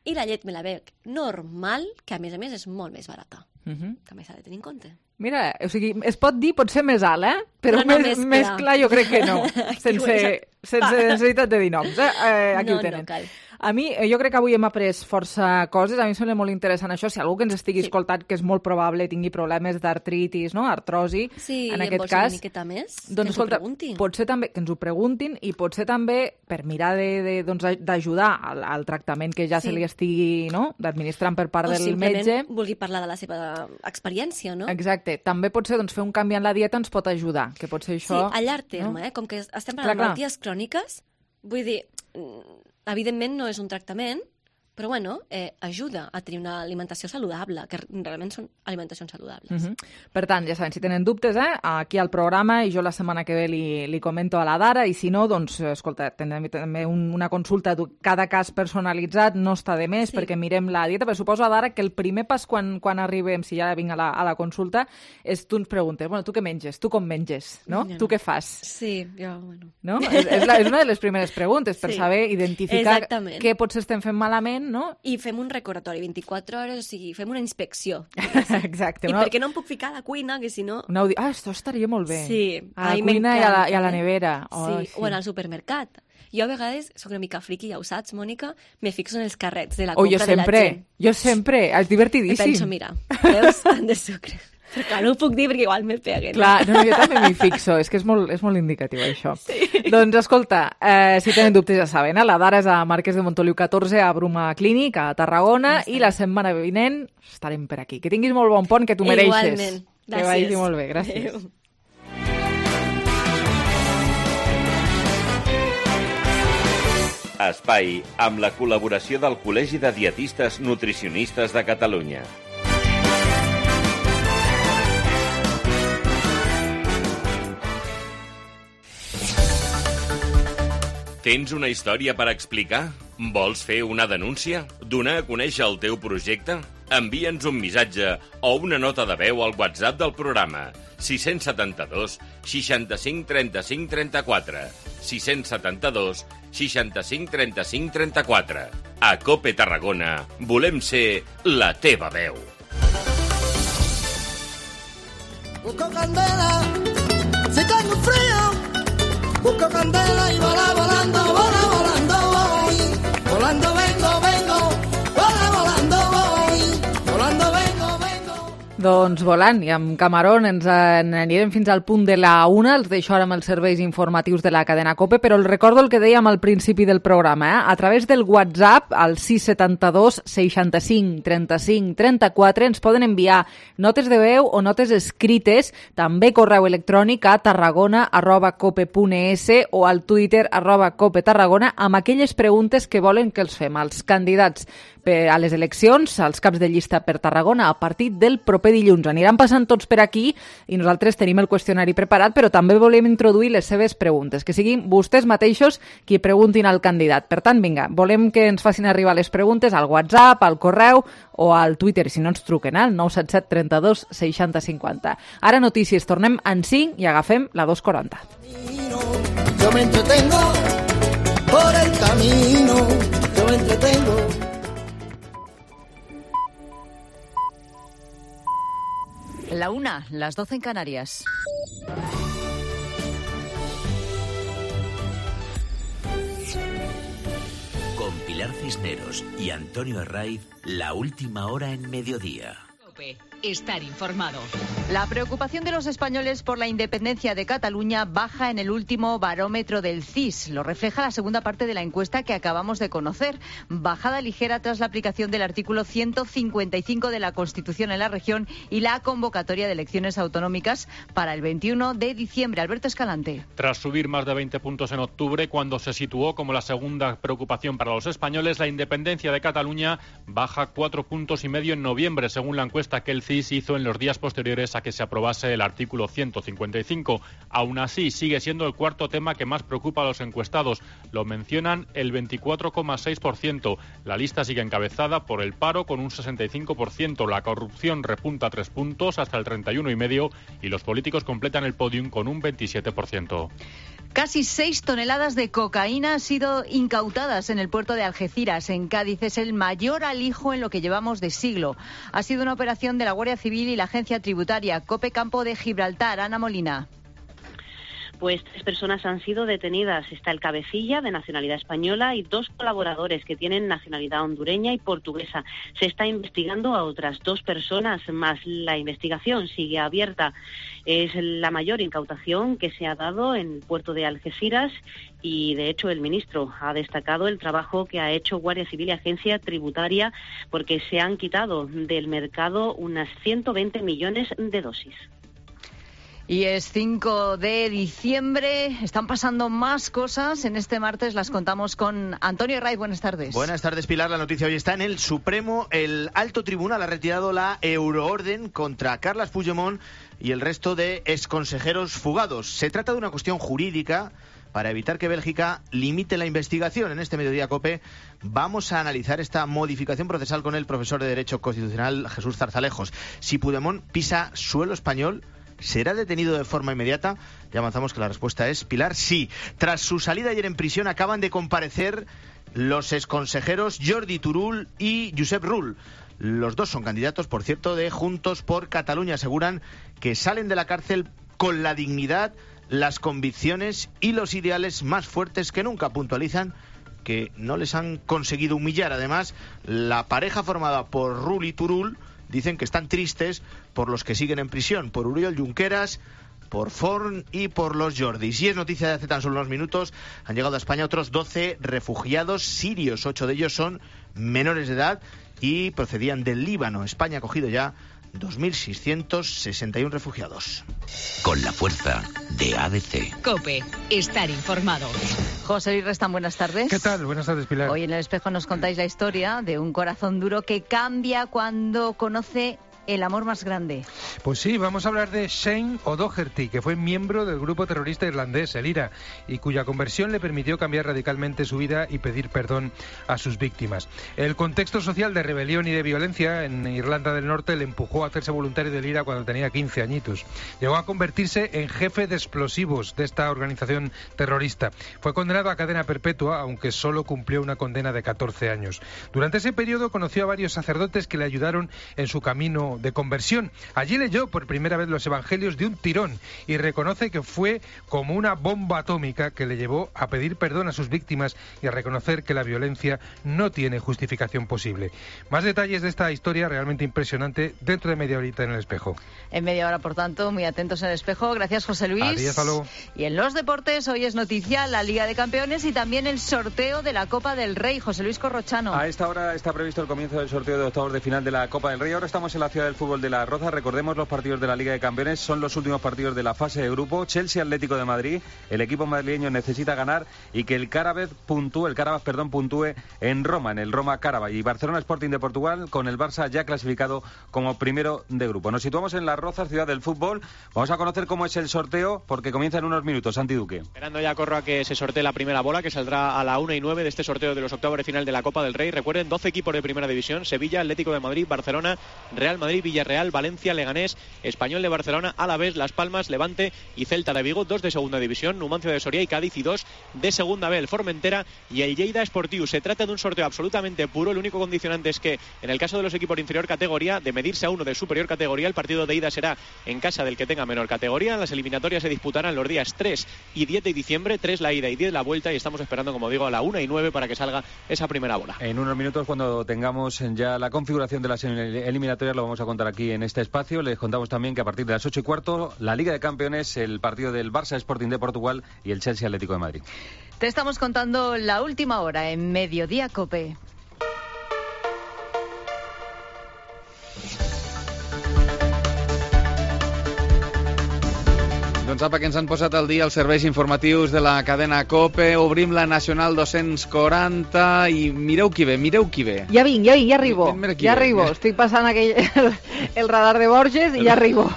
i la llet me la bec normal, que a més és molt més barata. També s'ha de tenir en compte. Mira, o sigui, es pot dir potser més alt, però més clar jo crec que no, sense necessitat de dir noms. Aquí ho tenen. No cal. A mi, jo crec que avui hem après força coses. A mi em sembla molt interessant això. Si algú que ens estigui escoltant, que és molt probable tingui problemes d'artritis, no? Artrosi, en aquest cas, una miqueta més, doncs, escolta, potser també que ens ho preguntin i potser també per mirar d'ajudar al tractament que ja se li estigui d'administrant per part del metge. O simplement vulgui parlar de la seva experiència, no? Exacte. També potser fer un canvi en la dieta ens pot ajudar, que potser això... Sí, a llarg terme, com que estem parlant de malalties cròniques, vull dir... Evidentment no és un tractament, però ajuda a tenir una alimentació saludable, que realment són alimentacions saludables. Per tant, ja saben, si tenen dubtes, aquí al programa, i jo la setmana que ve li comento a la Dara, i si no, doncs, escolta, tindrem també una consulta, cada cas personalitzat, no està de més, perquè mirem la dieta, però suposo, Dara, que el primer pas quan arribem, si ja vinc a la consulta, és tu ens preguntes, tu què menges? Tu com menges? No? Tu què fas? Sí, jo, bueno... No? És una de les primeres preguntes, per saber identificar què potser estem fent malament, no? I fem un recordatori 24 hores, o sigui, fem una inspecció. Exacte. I perquè no em puc ficar a la cuina, que si no... Això estaria molt bé. Sí. A la cuina i a la nevera. Sí, o en el supermercat. Jo a vegades soc una mica friqui, ja ho saps, Mònica, me fixo en els carrets de la compra de la gent. Jo sempre, és divertidíssim. I penso, mira, veus, tant de sucre. Però clar, no ho puc dir perquè igual me peguen. Clar, jo també m'hi fixo, és que és molt indicatiu això. Sí. Doncs escolta, si tenen dubtes ja saben, la Dara és a Marquès de Montoliu 14, a Bruma Clínic, a Tarragona, i la setmana vinent estarem per aquí. Que tinguis molt bon pont, que tu mereixes. Igualment, gràcies. Que vagi molt bé, gràcies. Adéu. Espai amb la col·laboració del Col·legi de Dietistes Nutricionistes de Catalunya. Tens una història per explicar? Vols fer una denúncia? Donar a conèixer el teu projecte? Envia'ns un missatge o una nota de veu al WhatsApp del programa 672 65 35 34 672 65 35 34. A COPE Tarragona volem ser la teva veu. Busco candela, si tengo frío. Busco candela y volando voy. Volando vengo, volando voy. Volando vengo. Doncs volant, i amb Camarón ens anirem fins al punt de la 1, els deixo ara amb els serveis informatius de la cadena COPE, però el recordo el que dèiem al principi del programa, a través del WhatsApp, al 672 65 35 34, ens poden enviar notes de veu o notes escrites, també correu electrònic a tarragona@cope.es o al Twitter @copetarragona, amb aquelles preguntes que volen que els fem als candidats a les eleccions, als caps de llista per Tarragona, a partir del proper dilluns. Aniran passant tots per aquí i nosaltres tenim el qüestionari preparat, però també volem introduir les seves preguntes, que siguin vostès mateixos qui preguntin al candidat. Per tant, vinga, volem que ens facin arribar les preguntes al WhatsApp, al correu o al Twitter, si no ens truquen al 977 32 60 50. Ara notícies, tornem en 5 i agafem la 2:40. Yo me entretengo por el camino, yo me entretengo. La 1, las 12 en Canarias. Con Pilar Cisneros y Antonio Herraiz, la última hora en mediodía. estar informado. La preocupación de los españoles por la independencia de Cataluña baja en el último barómetro del CIS. Lo refleja la segunda parte de la encuesta que acabamos de conocer. Bajada ligera tras la aplicación del artículo 155 de la Constitución en la región y la convocatoria de elecciones autonómicas para el 21 de diciembre. Alberto Escalante. Tras subir más de 20 puntos en octubre, cuando se situó como la segunda preocupación para los españoles, la independencia de Cataluña baja 4,5 puntos en noviembre, según la encuesta que el CIS hizo en los días posteriores a que se aprobase el artículo 155. Aún así, sigue siendo el cuarto tema que más preocupa a los encuestados. Lo mencionan el 24,6%. La lista sigue encabezada por el paro con un 65%. La corrupción repunta 3 puntos hasta el 31,5% y los políticos completan el podium con un 27%. Casi 6 toneladas de cocaína han sido incautadas en el puerto de Algeciras, en Cádiz. Es el mayor alijo en lo que llevamos de siglo. Ha sido una operación de la Guardia Civil y la Agencia Tributaria. COPE Campo de Gibraltar. Ana Molina. Pues 3 personas han sido detenidas. Está el cabecilla, de nacionalidad española, y 2 colaboradores que tienen nacionalidad hondureña y portuguesa. Se está investigando a otras 2 personas más. La investigación sigue abierta. Es la mayor incautación que se ha dado en el puerto de Algeciras y, de hecho, el ministro ha destacado el trabajo que ha hecho Guardia Civil y Agencia Tributaria, porque se han quitado del mercado unas 120 millones de dosis. Y es 5 de diciembre, están pasando más cosas. En este martes las contamos con Antonio Herraiz. Buenas tardes. Buenas tardes, Pilar. La noticia hoy está en el Supremo. El alto tribunal ha retirado la euroorden contra Carles Puigdemont y el resto de exconsejeros fugados. Se trata de una cuestión jurídica para evitar que Bélgica limite la investigación. En este Mediodía COPE vamos a analizar esta modificación procesal con el profesor de Derecho Constitucional Jesús Zarzalejos. Si Puigdemont pisa suelo español, ¿será detenido de forma inmediata? Ya avanzamos que la respuesta es, Pilar, sí. Tras su salida ayer en prisión acaban de comparecer los exconsejeros Jordi Turull y Josep Rull. Los 2 son candidatos, por cierto, de Juntos por Cataluña. Aseguran que salen de la cárcel con la dignidad, las convicciones y los ideales más fuertes que nunca. Puntualizan que no les han conseguido humillar. Además, la pareja formada por Rull y Turull dicen que están tristes por los que siguen en prisión, por Oriol Junqueras, por Forn y por los Jordis. Y es noticia de hace tan solo unos minutos, han llegado a España otros 12 refugiados sirios. 8 de ellos son menores de edad y procedían del Líbano. España ha acogido ya 2.661 refugiados. Con la fuerza de ADC. COPE, estar informado. José Luis Restán, buenas tardes. ¿Qué tal? Buenas tardes, Pilar. Hoy en El Espejo nos contáis la historia de un corazón duro que cambia cuando conoce el amor más grande. Pues sí, vamos a hablar de Shane O'Doherty, que fue miembro del grupo terrorista irlandés, el IRA, y cuya conversión le permitió cambiar radicalmente su vida y pedir perdón a sus víctimas. El contexto social de rebelión y de violencia en Irlanda del Norte le empujó a hacerse voluntario del IRA cuando tenía 15 añitos. Llegó a convertirse en jefe de explosivos de esta organización terrorista. Fue condenado a cadena perpetua, aunque solo cumplió una condena de 14 años. Durante ese periodo conoció a varios sacerdotes que le ayudaron en su camino de conversión. Allí leyó por primera vez los evangelios de un tirón y reconoce que fue como una bomba atómica que le llevó a pedir perdón a sus víctimas y a reconocer que la violencia no tiene justificación posible. Más detalles de esta historia realmente impresionante dentro de media horita en El Espejo. En media hora, por tanto, muy atentos en El Espejo. Gracias, José Luis. Adiós, hasta luego. Y en los deportes, hoy es noticia la Liga de Campeones y también el sorteo de la Copa del Rey. José Luis Corrochano. A esta hora está previsto el comienzo del sorteo de octavos de final de la Copa del Rey. Ahora estamos en la ciudad del fútbol de Las Rozas. Recordemos los partidos de la Liga de Campeones, son los últimos partidos de la fase de grupo. Chelsea Atlético de Madrid, el equipo madrileño necesita ganar y que el Carabas puntúe en Roma, en el Roma Carabas, y Barcelona Sporting de Portugal con el Barça ya clasificado como primero de grupo. Nos situamos en Las Rozas, ciudad del fútbol. Vamos a conocer cómo es el sorteo porque comienza en unos minutos. Santi Duque. Esperando ya, Corro, a que se sortee la primera bola, que saldrá a la 1:09 de este sorteo de los octavos de final de la Copa del Rey. Recuerden, 12 equipos de primera división: Sevilla, Atlético de Madrid, Barcelona, Real Madrid, Villarreal, Valencia, Leganés, Español de Barcelona, Alavés, Las Palmas, Levante y Celta de Vigo. 2 de segunda división, Numancia de Soria y Cádiz, y 2 de segunda B, el Formentera y el Lleida Esportiu. Se trata de un sorteo absolutamente puro. El único condicionante es que en el caso de los equipos de inferior categoría, de medirse a uno de superior categoría, el partido de ida será en casa del que tenga menor categoría. Las eliminatorias se disputarán los días 3 y 10 de diciembre, 3 la ida y 10 la vuelta, y estamos esperando, como digo, a la 1:09 para que salga esa primera bola. En unos minutos, cuando tengamos ya la configuración de las eliminatorias, lo vamos a a contar aquí en este espacio. Les contamos también que a partir de las 8:15, la Liga de Campeones, el partido del Barça Sporting de Portugal y el Chelsea Atlético de Madrid. Te estamos contando la última hora en Mediodía COPE. Doncs apa, que ens han posat al dia els serveis informatius de la cadena COPE. Obrim la Nacional 240 i mireu qui ve. Ja vinc, ja arribo. Ja arribo. Estic passant el radar de Borges i ja arribo.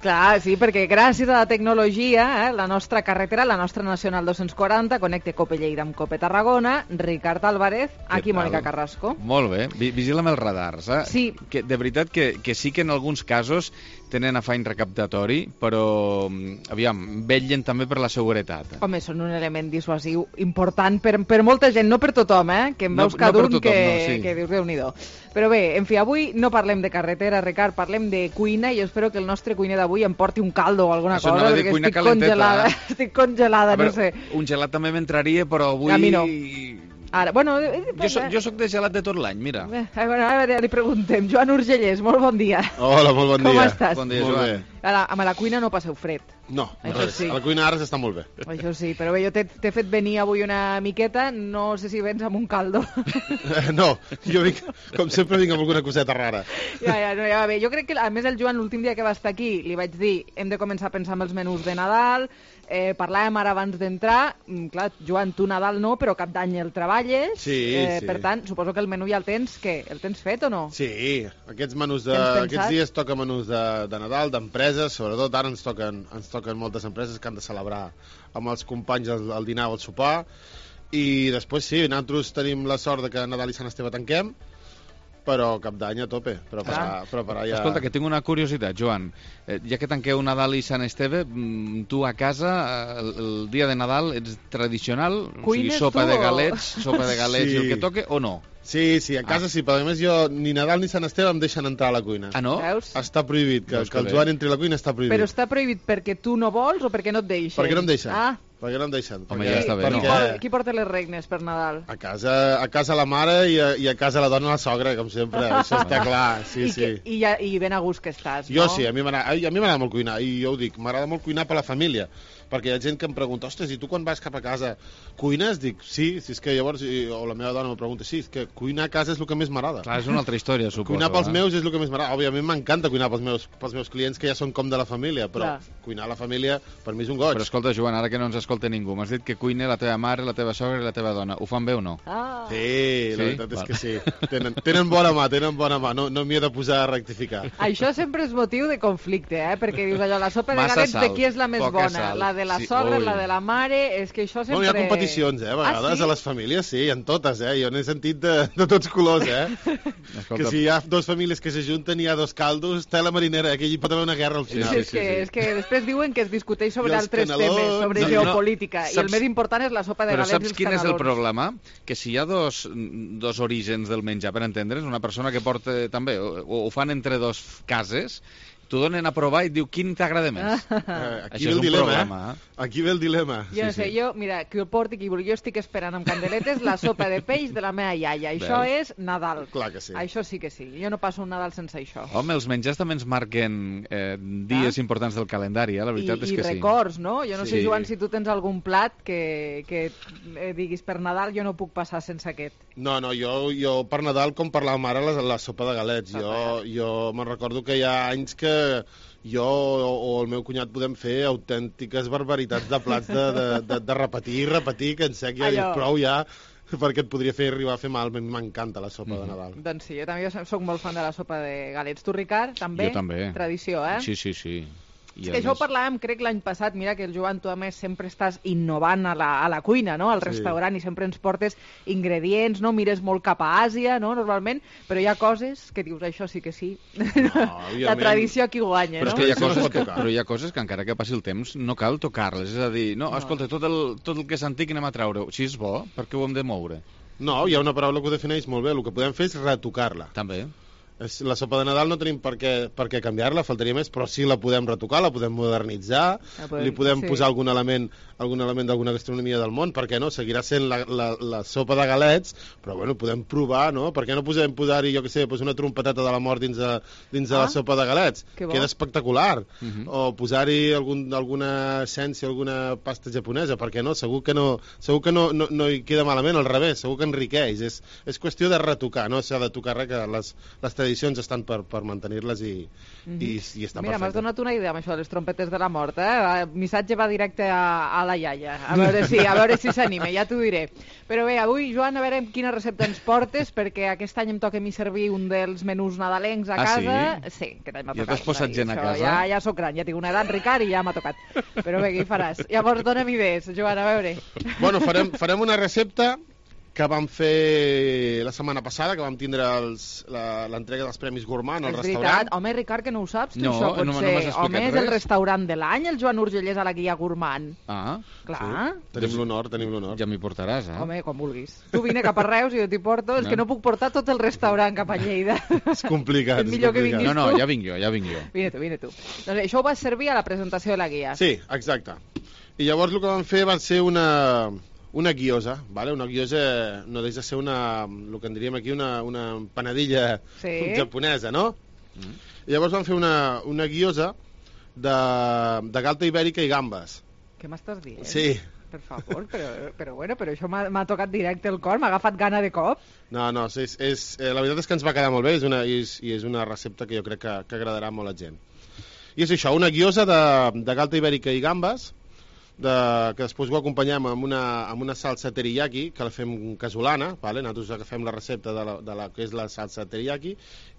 Clar, sí, perquè gràcies a la tecnologia, la nostra carretera, la nostra Nacional 240, connecta COPE Lleida amb COPE Tarragona. Ricard Álvarez, aquí Mònica Carrasco. Molt bé, vigila amb els radars. Sí. Que, de veritat que sí que en alguns casos tenen afany recaptatori, però, aviam, vetllen també per la seguretat. Home, són un element dissuasiu important per molta gent, no per tothom, que em veus cada un que dius, Déu-n'hi-do. Però bé, en fi, avui no parlem de carretera, Ricard, parlem de cuina i espero que el nostre cuiner d'avui em porti un caldo o alguna cosa, perquè estic congelada, a veure, no sé. Un gelat també m'entraria, però avui... A mi no. Ara, bueno, jo soc de gelat de tot l'any, mira. Ara li preguntem. Joan Urgellès, molt bon dia. Hola, molt bon dia. Com estàs? Bon dia, Joan. Ara, a la cuina no passeu fred. No, res. Sí. A la cuina ara s'està molt bé. Això sí, però bé, jo t'he fet venir avui una miqueta, no sé si vens amb un caldo. No, jo vinc, com sempre vinc amb alguna coseta rara. Ja va bé. Jo crec que, a més, el Joan, l'últim dia que va estar aquí, li vaig dir, hem de començar a pensar en els menús de Nadal, parlàvem ara abans d'entrar, clar, Joan, tu Nadal no, però Cap d'Any el treballes, sí. Per tant, suposo que el menú ja el tens, què? El tens fet o no? Sí, aquests dies toca menús de Nadal, d'empreses, sobretot ara ens toquen moltes empreses que han de celebrar amb els companys el dinar o el sopar, i després sí, nosaltres tenim la sort de que Nadal i Sant Esteve tanquem, però Cap d'Any a tope, preparar ja... Escolta, que tinc una curiositat, Joan. Ja que tanqueu Nadal i Sant Esteve, tu a casa, el dia de Nadal, ets tradicional? Cuines, o sigui, sopa de galets sí. I el que toque, o no? Sí, a casa sí, però a més jo ni Nadal ni Sant Esteve em deixen entrar a la cuina. Ah, no? Veus? Està prohibit, que el Joan entri a la cuina està prohibit. Però està prohibit perquè tu no vols o perquè no et deixen? Perquè no em deixen. Perquè no em deixen. Home, ja està bé, no? Qui porta les regnes per Nadal? A casa la mare i a casa la dona la sogra, com sempre. Això està clar, sí. I ben a gust que estàs, no? Jo sí, a mi m'agrada molt cuinar, i jo ho dic, m'agrada molt cuinar per la família, perquè hi ha gent que em pregunta, ostres, i tu quan vas cap a casa cuines? Dic, sí, si és que llavors, o la meva dona me pregunta, sí, és que cuinar a casa és el que més m'agrada. Clar, és una altra història, suposo. Cuinar pels meus és el que més m'agrada. Òbviament m'encanta cuinar pels meus clients, que ja són com de la família, però cuinar a la família per mi és un goig. Però escolta, Joan, ara que no ens escolta ningú, m'has dit que cuina la teva mare, la teva sogra i la teva dona. Ho fan bé o no? Sí, la veritat és que sí. Tenen bona mà, no m'hi he de posar a rectificar. Això sempre és motiu de conflicte, perquè dius allò, la sopa de galets de qui és la més bona? La de la sogra, la de la mare, és que això sempre... Hi ha competicions, a vegades, a les famílies, sí, en totes, jo n'he sentit de tots colors, que si hi ha dues famílies que s'ajunten i hi ha dos caldos, tela marinera, que hi pot haver una guerra al final. Sí, és que després diuen que es discuteix sobre altres temes, sobre geopolítica, i el més important és la sopa de galets i els canelons. Però saps quin és el problema? Que si hi ha dos orígens del menjar, per entendre's, una persona que porta també, o ho fan entre dos cases, t'ho donen a provar i et diu quin t'agrada més. Aquí ve el dilema, Aquí ve el dilema. Jo no sé, mira, qui el porti, qui vulgui, jo estic esperant amb candeletes la sopa de peix de la meva iaia. Això és Nadal. Clar que sí. Això sí que sí. Jo no passo un Nadal sense això. Home, els menjars també ens marquen dies importants del calendari, la veritat és que sí. I records, no? Jo no sé, Joan, si tu tens algun plat que diguis per Nadal jo no puc passar sense aquest. No, jo per Nadal, com per la mare, la sopa de galets. Jo me'n recordo que hi ha anys que jo o el meu cunyat podem fer autèntiques barbaritats de plats de repetir, que en sec ja dic prou ja, perquè et podria arribar a fer mal. M'encanta la sopa de Nadal. Doncs sí, jo també soc molt fan de la sopa de galets. Tu, Ricard, també? Jo també. Tradició, Sí. És que això ho parlàvem, crec, l'any passat. Mira que el Joan, tu a més sempre estàs innovant a la cuina, no? Al restaurant, i sempre ens portes ingredients, no? Mires molt cap a Àsia, no? Normalment, però hi ha coses que dius, això sí que sí. La tradició aquí guanya, no? Però hi ha coses que encara que passi el temps no cal tocar-les, és a dir, escolta, tot el que és antic anem a treure-ho. Si és bo, per què ho hem de moure? No, hi ha una paraula que ho defineix molt bé, el que podem fer és retocar-la. També. La sopa de Nadal no tenim per què canviar-la, faltaria més, però sí la podem retocar, la podem modernitzar, li podem posar algun element d'alguna gastronomia del món, per què no? Seguirà sent la sopa de galets, però bueno, podem provar, no? Per què no podem posar-hi, jo què sé, una trompeteta de la mort dins de la sopa de galets? Queda espectacular. O posar-hi alguna essència, alguna pasta japonesa, per què no? Segur que no hi queda malament, al revés, segur que enriqueix. És qüestió de retocar, no s'ha de tocar res, que les tradicions estan per mantenir-les i estan Mira, m'has perfectes. donat una idea amb això de les trompetes de la mort, eh? Missatge va directe a la iaia, a veure si s'anima, ja t'ho diré. Però bé, avui, Joan, a veure quina recepta ens portes, perquè aquest any em toca a mi servir un dels menús nadalencs a casa. Sí, aquest any m'ha tocat. Ja t'has posat gent a casa? Ja soc gran, ja tinc una edat, Ricard, i ja m'ha tocat. Però bé, què hi faràs? Llavors, dona'm idees, Joan, a veure. Bueno, farem una recepta que vam fer la setmana passada, que vam tindre l'entrega dels Premis Gourmand al restaurant. És veritat. Home, Ricard, que no ho saps, tu, No, això pot no ser. m'has explicat Home, és el res. restaurant de l'any, el Joan Urgellès a la guia Gourmand. Ah, Clar. Tenim l'honor. Ja m'hi portaràs, eh? Home, com vulguis. Tu vine cap a Reus i jo t'hi porto. És que no puc portar tot el restaurant cap a Lleida. És complicat. És millor que vinguis No, tu. ja vinc jo. Vine tu. Doncs això ho vas servir a la presentació de la guia. Sí, exacte. I llavors el que vam fer va ser una guiosa, ¿vale? Una guiosa no deixa de ser el que en diríem aquí una empanadilla japonesa, no? I llavors vam fer una guiosa de galta ibèrica i gambes. Què m'estàs dient? Sí. Per favor, però això m'ha tocat directe el cor, m'ha agafat gana de cop. No, la veritat és que ens va quedar molt bé, és una recepta que jo crec que agradarà molt a la gent. I és això, una guiosa de galta ibèrica i gambes, que després ho acompanyem amb una salsa teriyaki, que la fem casolana, vale? Nosaltres agafem la recepta de la que és la salsa teriyaki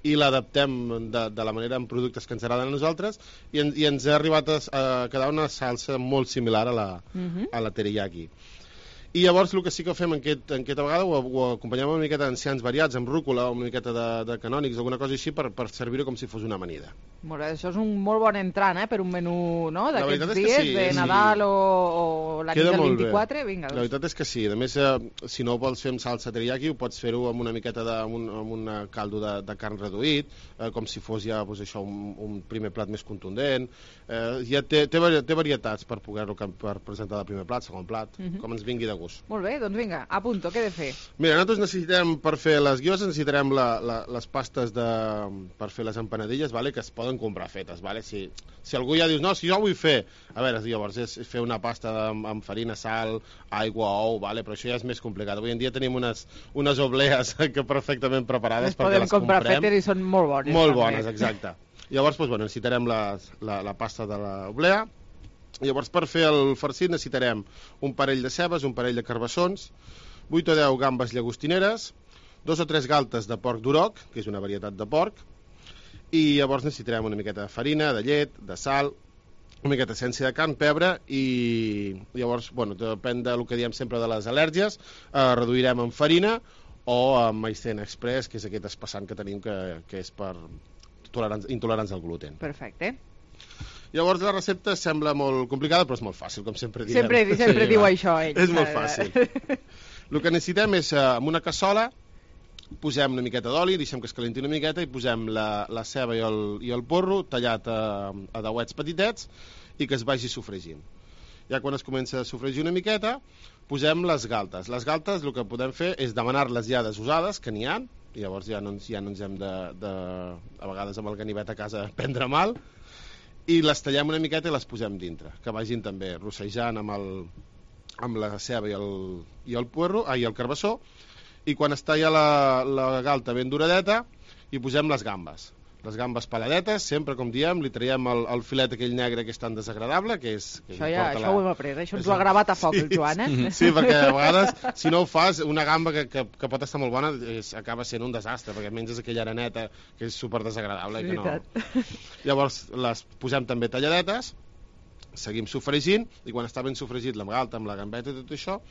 i l'adaptem de la manera amb productes que ens agraden a nosaltres i ens ha arribat a quedar una salsa molt similar a la teriyaki. I llavors el que sí que fem aquesta vegada ho acompanyem una miqueta d'enciams variats, amb rúcula o una miqueta de canònics, alguna cosa així, per servir-ho com si fos una amanida. Molt bé, això és un molt bon entrant, per un menú, no?, d'aquests dies, sí, de Nadal o la nit del 24, vinga. La veritat és que sí. A més, si no ho vols fer amb salsa teriyaki, ho pots fer-ho amb una miqueta amb un caldo de carn reduït, com si fos ja un primer plat més contundent. Ja té varietats per poder-lo presentar de primer plat, segon plat, com ens vingui de gust. Molt bé, doncs vinga, apunto, què he de fer? Mira, nosaltres necessitem, per fer les guioses, necessitarem les pastes per fer les empanadilles, vale? Que es poden comprar fetes. Vale? Si algú ja dius, no, si jo ho vull fer, a veure, llavors és fer una pasta amb farina, sal, aigua, ou, vale? Però això ja és més complicat. Avui en dia tenim unes oblees que perfectament preparades perquè les comprem. Podem comprar fetes i són molt bones. Molt bones, exacte. Llavors, necessitarem la pasta de l'oblea. Llavors, per fer el farcit necessitarem un parell de cebes, un parell de carbassons, 8 o 10 gambes llagostineres, 2 o 3 galtes de porc d'uroc, que és una varietat de porc, i llavors necessitarem una miqueta de farina, de llet, de sal, una miqueta d'essència de carn, pebre, i llavors, depèn del que diem sempre de les al·lèrgies, reduirem amb farina o amb maicena express, que és aquest espessant que tenim que és per intolerants al gluten. Perfecte. Llavors la recepta sembla molt complicada, però és molt fàcil, com sempre diem. Sempre diu això, ell. És molt fàcil. El que necessitem és, en una cassola, posem una miqueta d'oli, deixem que es calenti una miqueta i posem la ceba i el porro tallat a dauets petitets i que es vagi sofregint. Ja quan es comença a sofregir una miqueta, posem les galtes. Les galtes el que podem fer és demanar-les ja desusades, que n'hi ha, i llavors ja no ens hem a vegades amb el ganivet a casa prendre mal, i les tallem una miqueta i les posem dintre, que vagin també rossejant amb la ceba i el carbassó, i quan està ja la galta ben duradeta hi posem les gambes peladetes, sempre com diem, li traiem el filet aquell negre que és tan desagradable, que és... Això ho hem après, això ens ho ha gravat a foc el Joan, eh? Sí, perquè a vegades, si no ho fas, una gamba que pot estar molt bona acaba sent un desastre, perquè menges aquella areneta que és super desagradable. Llavors les posem també talladetes, seguim sofregint, i quan està ben sofregit la galta amb la gambeta i tot això,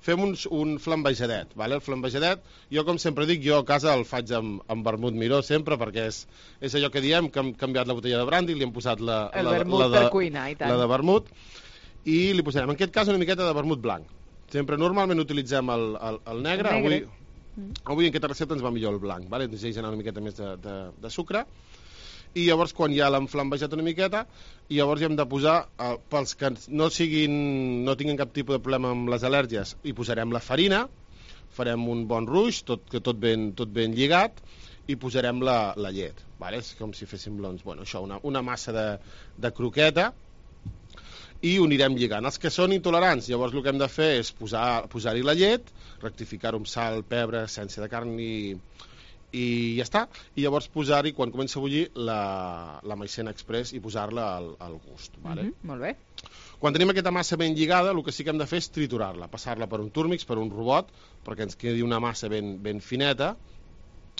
fem un flambejadet, vale? El flambejadet, jo com sempre dic, jo a casa el faig amb vermut miró sempre, perquè és allò que diem, que hem canviat la botella de brandy, li hem posat la per cuinar, i tant. La de vermut, i li posarem en aquest cas una miqueta de vermut blanc. Sempre normalment utilitzem el negre. Avui en aquesta recepta ens va millor el blanc, vale? Ens deixa anar una miqueta més de sucre, i llavors quan ja l'hem flambejat una miqueta, i llavors hi hem de posar, pels que no tinguin cap tipus de problema amb les al·lèrgies, hi posarem la farina, farem un bon ruix, tot ben lligat, i posarem la llet, vale? És com si féssim una massa de croqueta, i ho anirem lligant. Els que són intolerants, llavors el que hem de fer és posar-hi la llet, rectificar-ho amb sal, pebre, essència de carn i ja està, i llavors posar-hi, quan comença a bullir, la maicena express i posar-la al gust. Vale? Molt bé. Quan tenim aquesta massa ben lligada, el que sí que hem de fer és triturar-la, passar-la per un túrmix, per un robot, perquè ens quedi una massa ben fineta,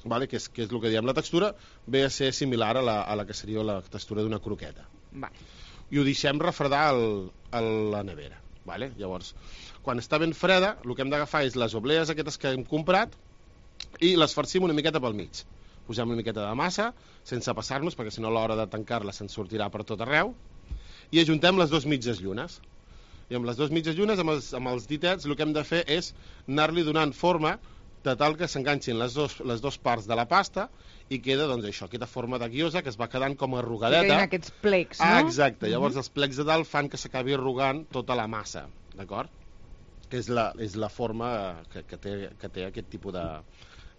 vale? que és el que diem la textura, ve a ser similar a la que seria la textura d'una croqueta. Vale. I ho deixem refredar a la nevera. Vale? Llavors, quan està ben freda, el que hem d'agafar és les oblees aquestes que hem comprat i les farcim una miqueta pel mig. Posem una miqueta de massa, sense passar-nos, perquè si no a l'hora de tancar-la se'n sortirà per tot arreu, i ajuntem les dues mitges llunes. I amb les dues mitges llunes, amb els ditets, el que hem de fer és anar-li donant forma de tal que s'enganxin les dues parts de la pasta i queda, doncs, això, aquesta forma de guiosa que es va quedant com arrugadeta. Que queden aquests plecs, no? Exacte. Llavors els plecs de dalt fan que s'acabi arrugant tota la massa, d'acord? Que és la forma que té aquest tipus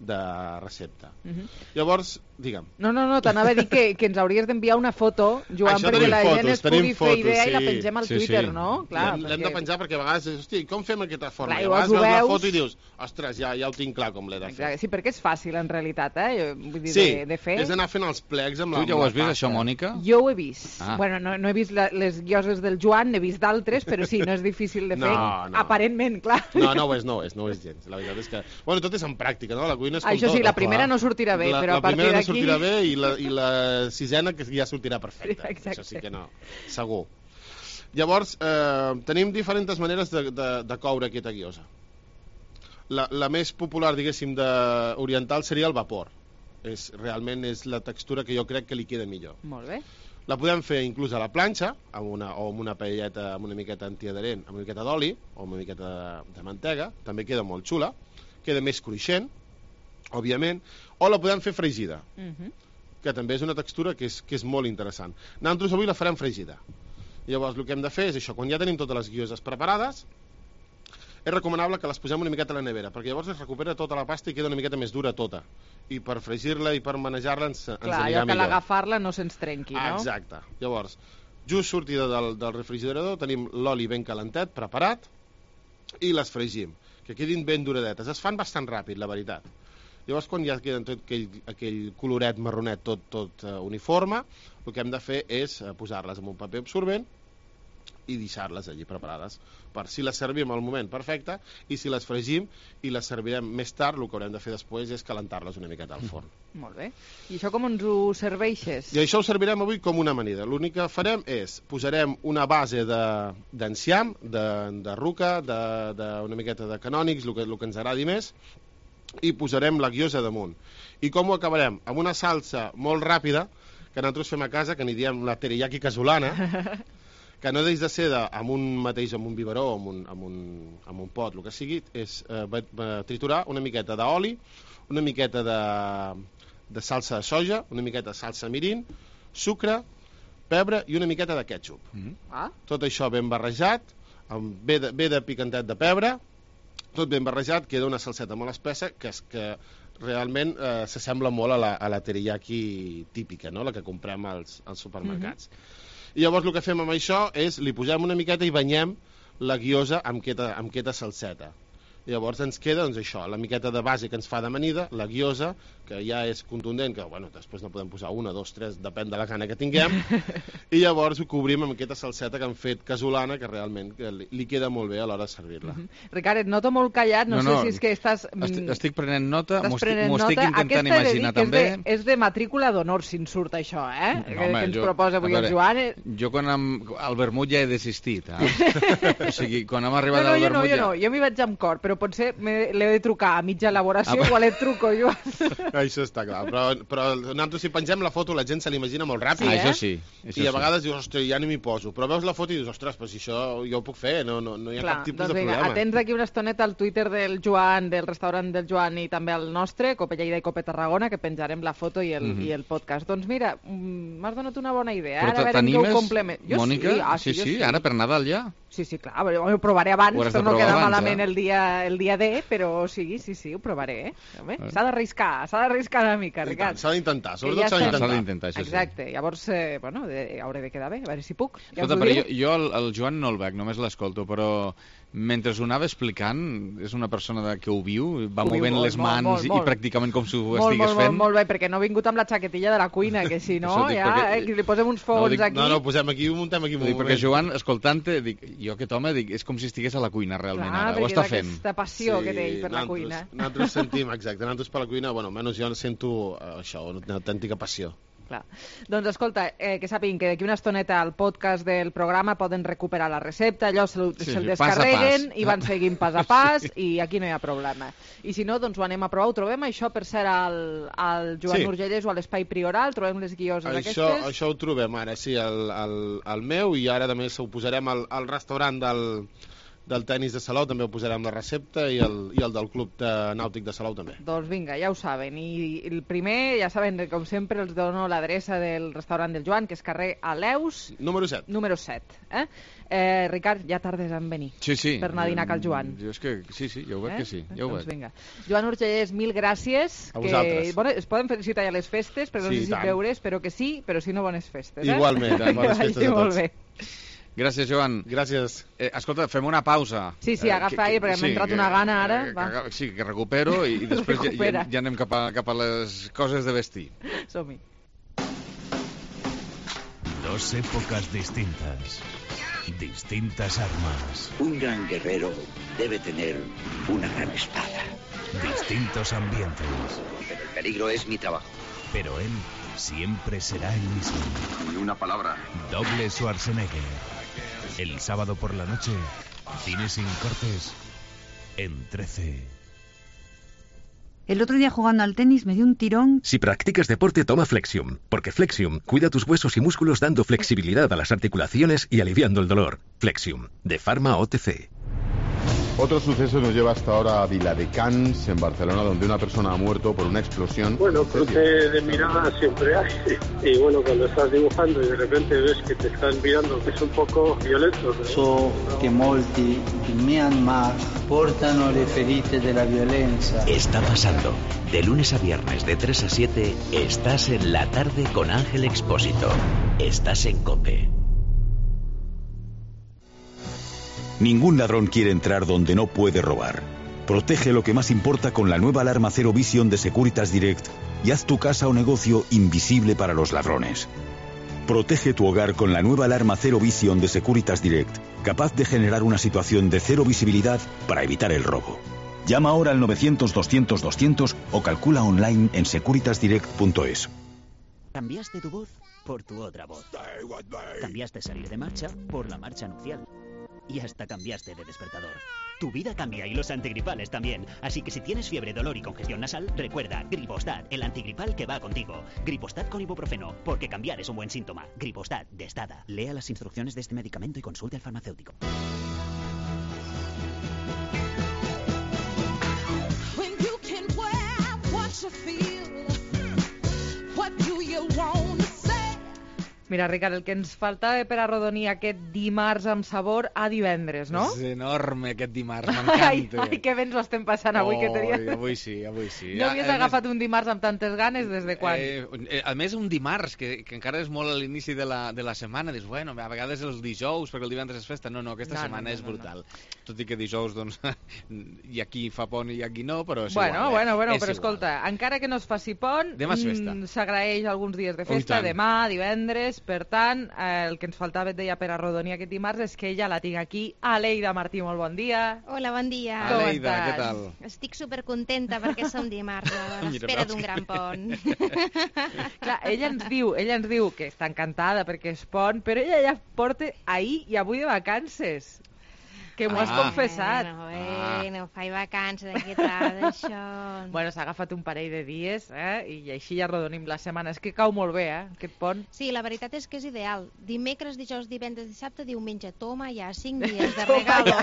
de recepta. Llavors, digue'm. No, t'anava a dir que ens hauries d'enviar una foto, Joan, perquè la gent es pugui fer idea i la pengem al Twitter, no? L'hem de penjar perquè a vegades, hòstia, com fem aquesta forma? Clar, I a vegades veus la foto i dius, ostres, ja ho tinc clar com l'he de fer. Sí, perquè és fàcil, en realitat, vull dir, de fer. Sí, és anar fent els plecs amb la pasta. Tu ja ho has vist, això, Mònica? Jo ho he vist. Bueno, no he vist les guioses del Joan, n'he vist d'altres, però sí, no és difícil de fer. Aparentment, clar. No ho és gens. La veritat és que... Bueno, tot és en pràctica, no? La cuina és com això sí, la primera no sortirà bé, però a partir d'aquí... La primera no sortirà bé i la sisena que ja sortirà perfecta. Això sí que no, segur. Llavors, tenim diferents maneres de coure aquesta guiosa. La més popular, diguéssim, oriental seria el vapor. Realment és la textura que jo crec que li queda millor. Molt bé. La podem fer inclús a la planxa, o amb una paelleta amb una miqueta antiadherent, amb una miqueta d'oli o amb una miqueta de mantega, també queda molt xula, queda més cruixent, òbviament, o la podem fer fregida, que també és una textura que és molt interessant. Nosaltres avui la farem fregida. Llavors el que hem de fer és això, quan ja tenim totes les guioses preparades, és recomanable que les posem una miqueta a la nevera, perquè llavors es recupera tota la pasta i queda una miqueta més dura tota. I per fregir-la i per manejar-la ens anirà millor. Clar, que l'agafar-la no se'ns trenqui, no? Exacte. Llavors, just sortida del refrigerador, tenim l'oli ben calentet, preparat, i les fregim, que quedin ben duradetes. Es fan bastant ràpid, la veritat. Llavors, quan ja queden tot aquell coloret marronet tot uniforme, el que hem de fer és posar-les en un paper absorbent i deixar-les allí preparades per si les servim al moment perfecte, i si les fregim i les servirem més tard, el que haurem de fer després és calentar-les una miqueta al forn. Molt bé. I això com ens ho serveixes? I això ho servirem avui com una amanida. L'únic que farem és, posarem una base d'enciam, de ruca, una miqueta de canònics, el que ens agradi més, i posarem la guiosa damunt. I com ho acabarem? Amb una salsa molt ràpida, que nosaltres fem a casa, que n'hi diem la teriyaki casolana, que no deix de ser amb un biberó o amb un pot, el que sigui, és triturar una miqueta d'oli, una miqueta de salsa de soja, una miqueta de salsa mirin, sucre, pebre i una miqueta de ketchup. Tot això ben barrejat, ve de picantet de pebre, tot ben barrejat, queda una salseta molt espessa que realment s'assembla molt a la teriyaki típica, no? La que comprem als supermercats. I llavors el que fem amb això és li posem una miqueta i banyem la guiosa amb aquesta salseta. Llavors ens queda, doncs, això, la miqueta de base que ens fa d'amanida, la guiosa, que ja és contundent, que bueno, després no podem posar una, dos, tres, depèn de la gana que tinguem, i llavors ho cobrim amb aquesta salseta que han fet casolana, que realment li queda molt bé a l'hora de servir-la. Ricard, et noto molt callat, no sé si és que estàs... Estic prenent nota, m'ho estic intentant imaginar també. És de matrícula d'honor, si en surt això, que ens proposa avui el Joan. Jo quan al vermut ja he desistit, o sigui, quan hem arribat al vermut ja... Jo m'hi vaig amb cor, però però potser l'he de trucar a mitja elaboració, igual et truco, Joan. Això està clar, però nosaltres si pengem la foto la gent se l'imagina molt ràpid. Això sí. I a vegades dius, ostres, ja ni m'hi poso. Però veus la foto i dius, ostres, però si això jo ho puc fer, no hi ha cap tipus de problema. Atents aquí una estoneta al Twitter del Joan, del restaurant del Joan i també al nostre, Cope Lleida i Cope Tarragona, que penjarem la foto i el podcast. Doncs mira, m'has donat una bona idea. Però t'animes, Mònica? Sí, ara per Nadal ja? Sí, clar, ho provaré abans per no quedar malament el dia D, però sí, ho provaré. S'ha d'arriscar una mica, Ricard. S'ha d'intentar, sobretot s'ha d'intentar. Exacte, llavors, hauré de quedar bé, a veure si puc. Escolta, però jo el Joan no el veig, només l'escolto, però mentre ho anava explicant, és una persona que ho viu, va movent les mans i pràcticament com si ho estigués fent. Molt bé, perquè no he vingut amb la xaquetilla de la cuina, que si no, ja li posem uns fogons aquí. No, posem aquí, ho muntem aquí. Perquè Joan, escoltant-te, dic, jo aquest home, és com si estigués a la cuina realment ara, ho està fent. Aquesta passió que té ell per la cuina. Nosaltres sentim, exacte, nosaltres per la cuina, almenys jo sento això, una autèntica passió. Clar. Doncs escolta, que sàpiguen que d'aquí una estoneta al podcast del programa poden recuperar la recepta, allò se'l descarreguen i van seguint pas a pas i aquí no hi ha problema. I si no, doncs ho anem a provar, ho trobem això per ser al Joan Urgellès o a l'Espai Prioral, trobem les guioses aquestes? Això ho trobem ara, sí, al meu, i ara també ho posarem al restaurant del tenis de Salou, també ho posarem la recepta, i el del club nàutic de Salou també. Doncs vinga, ja ho saben. I el primer, ja saben, com sempre, els dono l'adreça del restaurant del Joan, que és carrer Aleus... Número 7. Número 7. Ricard, ja tardes en venir. Sí. Per anar a dinar cal Joan. Jo és que sí, jo ho veig que sí. Ja ho veig. Vinga. Joan Urgellès, mil gràcies. A vosaltres. Bueno, es poden felicitar ja les festes, però no sé si veure, espero que sí, però si no, bones festes. Igualment, bones festes a tots. Molt bé. Gràcies, Joan. Gràcies. Escolta, fem una pausa. Sí, agafa aire, perquè m'ha entrat una gana ara. Sí, que recupero i després ja anem cap a les coses de vestir. Som-hi. Dos épocas distintas. Distintas armas. Un gran guerrero debe tener una gran espada. Distintos ambientes. Pero el peligro es mi trabajo. Pero él siempre será el mismo. Ni una palabra. Doble Schwarzenegger. El sábado por la noche, cine sin cortes, en 13. El otro día jugando al tenis me dio un tirón. Si practicas deporte, toma Flexium, porque Flexium cuida tus huesos y músculos dando flexibilidad a las articulaciones y aliviando el dolor. Flexium, de Pharma OTC. Otro suceso nos lleva hasta ahora a Viladecans, en Barcelona, donde una persona ha muerto por una explosión. Bueno, cruce de mirada siempre hay. Y bueno, cuando estás dibujando y de repente ves que te están mirando, que es un poco violento. So che molti in Myanmar portano le ferite della violenza. Está pasando. De lunes a viernes, de 3 a 7, estás en La Tarde con Ángel Expósito. Estás en COPE. Ningún ladrón quiere entrar donde no puede robar. Protege lo que más importa con la nueva alarma Zero Vision de Securitas Direct y haz tu casa o negocio invisible para los ladrones. Protege tu hogar con la nueva alarma Zero Vision de Securitas Direct, capaz de generar una situación de cero visibilidad para evitar el robo. Llama ahora al 900-200-200 o calcula online en securitasdirect.es. Cambiaste tu voz por tu otra voz. Cambiaste salir de marcha por la marcha nupcial. Y hasta cambiaste de despertador. Tu vida cambia y los antigripales también. Así que si tienes fiebre, dolor y congestión nasal, recuerda Gripostat, el antigripal que va contigo. Gripostat con ibuprofeno, porque cambiar es un buen síntoma. Gripostat, de Estada. Lea las instrucciones de este medicamento y consulte al farmacéutico. Mira, Ricard, el que ens faltava per arrodonir aquest dimarts amb sabor a divendres, no? És enorme aquest dimarts, m'encanta. Ai, que bé ens ho estem passant avui. Avui sí. No havies agafat un dimarts amb tantes ganes des de quan? A més, un dimarts, que encara és molt a l'inici de la setmana, dius, bueno, a vegades els dijous, perquè el divendres és festa. No, aquesta setmana és brutal. Tot i que dijous, doncs, hi ha qui fa pont i hi ha qui no, però és igual. Bueno, però escolta, encara que no es faci pont, s'agraeix alguns dies de festa, demà, divendres. Per tant, el que ens faltava, et deia, per arrodonir aquest dimarts és que ella la tinc aquí. Aleida Martí, molt bon dia. Hola, bon dia. Aleida, què tal? Estic supercontenta perquè som dimarts, a l'espera d'un gran pont. Clar, ella ens diu que està encantada perquè és pont, però ella ja porta ahir i avui de vacances. Que m'ho has confessat. Bueno, faig vacances d'aquí tal, això... Bueno, s'ha agafat un parell de dies, i així ja arrodonim la setmana. És que cau molt bé, aquest pont. Sí, la veritat és que és ideal. Dimecres, dijous, divendres, dissabte, diumenge. Toma, ja 5 dies de regalo.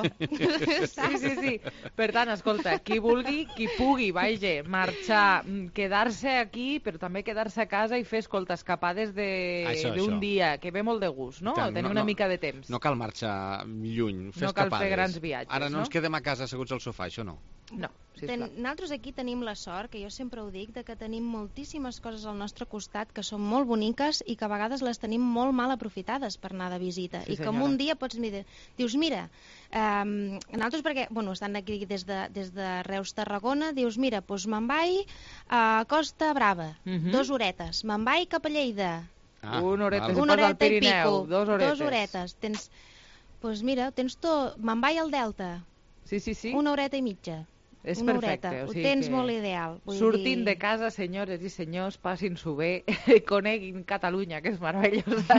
Sí. Per tant, escolta, qui vulgui, qui pugui, vaja, marxar, quedar-se aquí, però també quedar-se a casa i fer, escolta, escapades d'un dia, que ve molt de gust, no? Tenir una mica de temps. No cal marxar lluny, fer escapades. No cal fer grans viatges, Ara no ens quedem a casa asseguts al sofà, això no. No, nosaltres aquí tenim la sort, que jo sempre ho dic, de que tenim moltíssimes coses al nostre costat que són molt boniques i que a vegades les tenim molt mal aprofitades per anar de visita. I que en un dia pots dir, dius, mira, nosaltres perquè, estan aquí des de Reus, Tarragona, dius, mira, doncs me'n vaig a Costa Brava, 2 horetes, me'n vaig cap a Lleida. Una horeta i pico, 2 horetes. Doncs mira, tens tot, me'n vaig al Delta. Sí. 1 horeta i mitja. És perfecte. Ho tens molt ideal. Sortint de casa, senyores i senyors, passin-s'ho bé, coneguin Catalunya, que és meravellosa.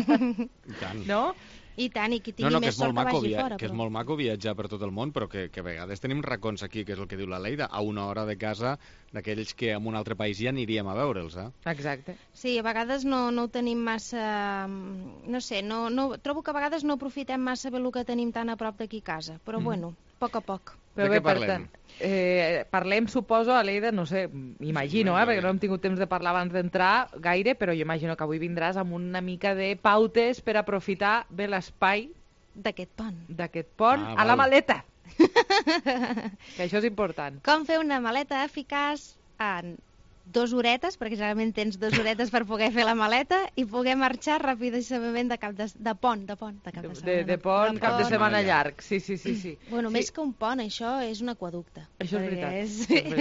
No? I tant, i qui tingui més sort que vagi fora. Que és molt maco viatjar per tot el món, però que a vegades tenim racons aquí, que és el que diu la Leida, a 1 hora de casa d'aquells que en un altre país ja aniríem a veure'ls. Exacte. Sí, a vegades no ho tenim massa... No sé, trobo que a vegades no aprofitem massa bé el que tenim tan a prop d'aquí a casa, però bueno, a poc a poc. De què parlem? Parlem, suposo, a Leida, no sé, imagino, perquè no hem tingut temps de parlar abans d'entrar gaire, però jo imagino que avui vindràs amb una mica de pautes per aprofitar bé l'espai d'aquest pont a la maleta. Que això és important. Com fer una maleta eficaç en 2 horetes, perquè generalment tens 2 horetes per poder fer la maleta i poder marxar ràpidament de pont de cap de setmana. De pont, cap de setmana llarg, sí. Bueno, més que un pont, això és un aqüeducte. Això és veritat.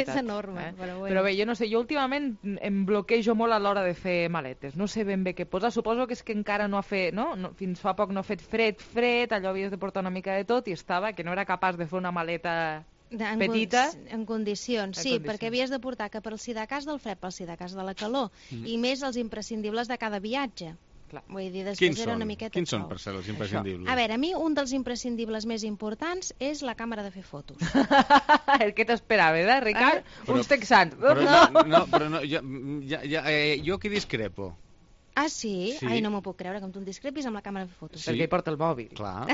És enorme, però bueno. Però bé, jo no sé, jo últimament em bloquejo molt a l'hora de fer maletes. No sé ben bé què posar, suposo que és que encara no ha fet, no? Fins fa poc no ha fet fred, allò havies de portar una mica de tot i estava que no era capaç de fer una maleta... petita. En condicions, sí, perquè havies de portar que per si de cas del fred, per si de cas de la calor, i més els imprescindibles de cada viatge. Vull dir, després era una miqueta... Quins són, per ser, els imprescindibles? A veure, a mi un dels imprescindibles més importants és la càmera de fer fotos. El que t'esperava, Ricard? Uns texans. Però no, jo aquí discrepo. Ah, sí? Ai, no m'ho puc creure, com tu em discrepis amb la càmera de fer fotos. Perquè hi porta el mòbil. Clar.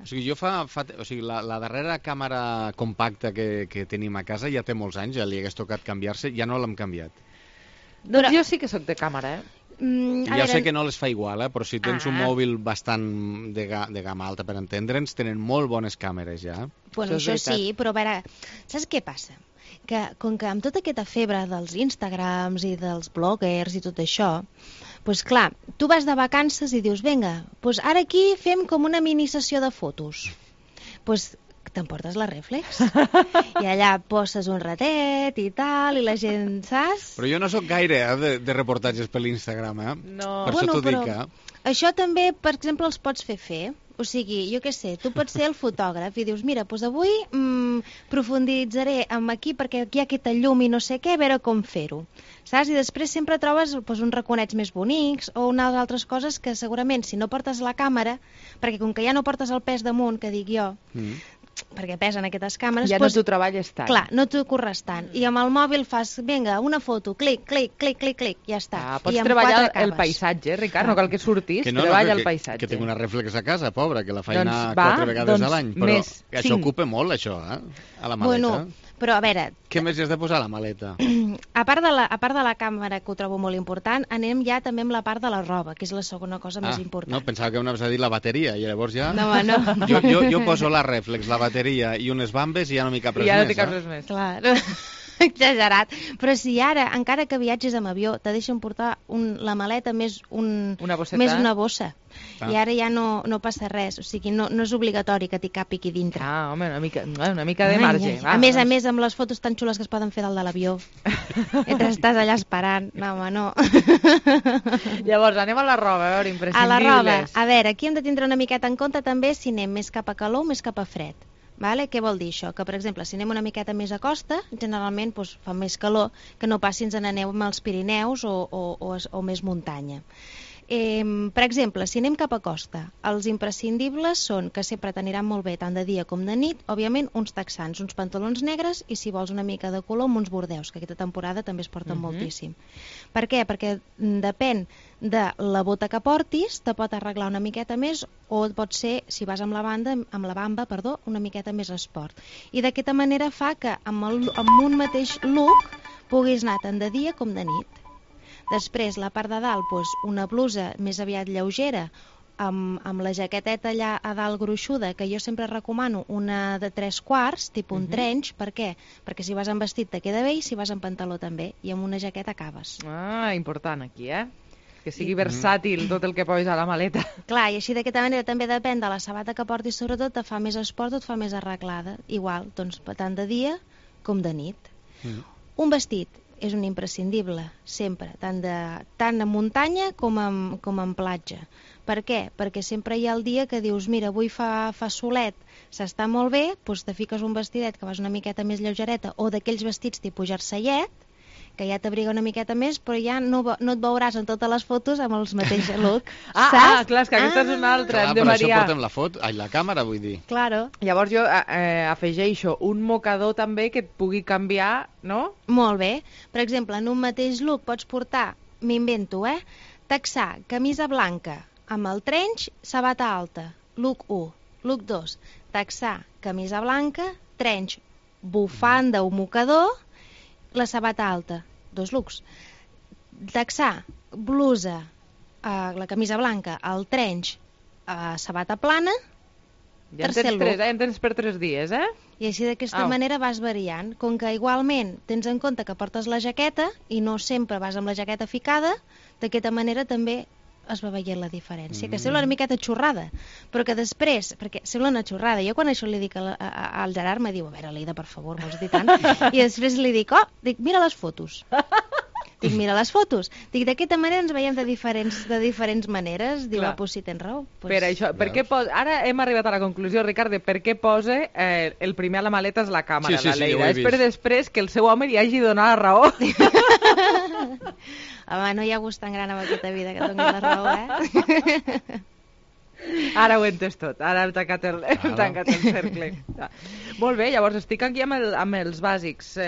O sigui, la darrera càmera compacta que tenim a casa ja té molts anys, ja li hagués tocat canviar-se, ja no l'hem canviat. Doncs jo sí que sóc de càmera, Ja sé que no les fa igual, però si tens un mòbil bastant de gamma alta, per entendre'ns, tenen molt bones càmeres ja. Bueno, això sí, però a veure, saps què passa? Que com que amb tota aquesta febre dels Instagrams i dels bloggers i tot això, doncs clar, tu vas de vacances i dius, vinga, doncs ara aquí fem com una mini sessió de fotos. Doncs t'emportes la reflex i allà poses un ratet i tal, i la gent, saps? Però jo no sóc gaire de reportatges per l'Instagram, No. Per això t'ho dic, Això també, per exemple, els pots fer. O sigui, jo què sé, tu pots ser el fotògraf i dius, mira, doncs avui profunditzaré aquí perquè aquí hi ha aquesta llum i no sé què, a veure com fer-ho. Saps? I després sempre trobes uns raconets més bonics o unes altres coses que segurament si no portes la càmera, perquè com que ja no portes el pes damunt, que dic jo, perquè pesen aquestes càmeres... Ja no t'ho treballes tant. Clar, no t'ho corres tant. I amb el mòbil fas, vinga, una foto, clic, ja està. Pots treballar el paisatge, Ricard, no cal que surtis, treballa el paisatge. Que tinc una reflex a casa, pobra, que la faina 4 vegades a l'any, però això ocupa molt, això, a la maleta. Bueno, però a veure... Què més hi has de posar a la maleta? A part de la càmera, que ho trobo molt important, anem ja també amb la part de la roba, que és la segona cosa més important. No, pensava que anaves a dir la bateria, i llavors ja... No. Jo poso la reflex, la bateria i unes bambes i ja no m'hi cap res més. Ja no t'hi cap res més. Clar, exagerat. Però si ara, encara que viatges amb avió, te deixen portar la maleta més una bossa. I ara ja no passa res, o sigui, no és obligatori que t'hi capi aquí dintre. Home, una mica de marge. A més, amb les fotos tan xules que es poden fer dalt de l'avió, mentre estàs allà esperant. No, home, no. Llavors, anem a la roba, a veure, imprescindibles. A la roba, a veure, aquí hem de tindre una miqueta en compte també si anem més cap a calor o més cap a fred. Vale? Què vol dir això? Que, per exemple, si anem una miqueta més a costa, generalment fa més calor que no pas si ens n'aneu als Pirineus o més muntanya. Per exemple, si anem cap a costa, els imprescindibles són, que sempre t'aniran molt bé tant de dia com de nit, òbviament uns texans, uns pantalons negres i si vols una mica de color amb uns bordeus, que aquesta temporada també es porten moltíssim. Per què? Perquè depèn de la bota que portis, te pot arreglar una miqueta més o pot ser, si vas amb la bamba, una miqueta més esport. I d'aquesta manera fa que amb un mateix look puguis anar tant de dia com de nit. Després, la part de dalt, una blusa més aviat lleugera, amb la jaqueteta allà a dalt gruixuda, que jo sempre recomano una de 3/4, tipus un trench. Per què? Perquè si vas amb vestit te queda bé i si vas amb pantaló també, i amb una jaqueta acabes. Ah, important aquí, que sigui versàtil tot el que posis a la maleta. Clar, i així d'aquesta manera també depèn de la sabata que portis, sobretot, te fa més esport o et fa més arreglada. Igual, doncs, tant de dia com de nit. Un vestit és un imprescindible, sempre, tant en muntanya com en platja. Per què? Perquè sempre hi ha el dia que dius, mira, avui fa solet, s'està molt bé, doncs te fiques un vestidet que vas una miqueta més lleugereta, o d'aquells vestits tipus jerseillet, que ja t'abriga una miqueta més, però ja no et veuràs en totes les fotos amb el mateix look. Clar, és que aquesta és una altra, hem de variar. Per variar. això portem la càmera, vull dir. Claro. Llavors jo afegeixo un mocador també que et pugui canviar, no? Molt bé. Per exemple, en un mateix look pots portar, m'invento, texà, camisa blanca, amb el trench, sabata alta. Look 1. Look 2. Texà, camisa blanca, trench, bufanda o mocador, la sabata alta, 2 looks. Texà, blusa, la camisa blanca, el trench, sabata plana, tercer look. Ja en tens per 3 dies, I així d'aquesta manera vas variant. Com que igualment tens en compte que portes la jaqueta i no sempre vas amb la jaqueta ficada, d'aquesta manera també es va veient la diferència, que sembla una miqueta xorrada, però que després, perquè sembla una xorrada, jo quan això li dic al Gerard me diu, a veure, Leida, per favor, vols dir tant? I després li dic, mira les fotos. Dic, mira les fotos. Dic, d'aquesta manera ens veiem de diferents maneres. Diu, pues si tens raó. Per això, ara hem arribat a la conclusió, Ricard, de per què posa el primer a la maleta és la càmera, la Leida. És per després que el seu home li hagi donat la raó. Home, no hi ha gust tan gran en aquesta vida que doni la raó, Ara ho he entès tot, ara hem tancat el cercle. Molt bé, llavors estic aquí amb els bàsics.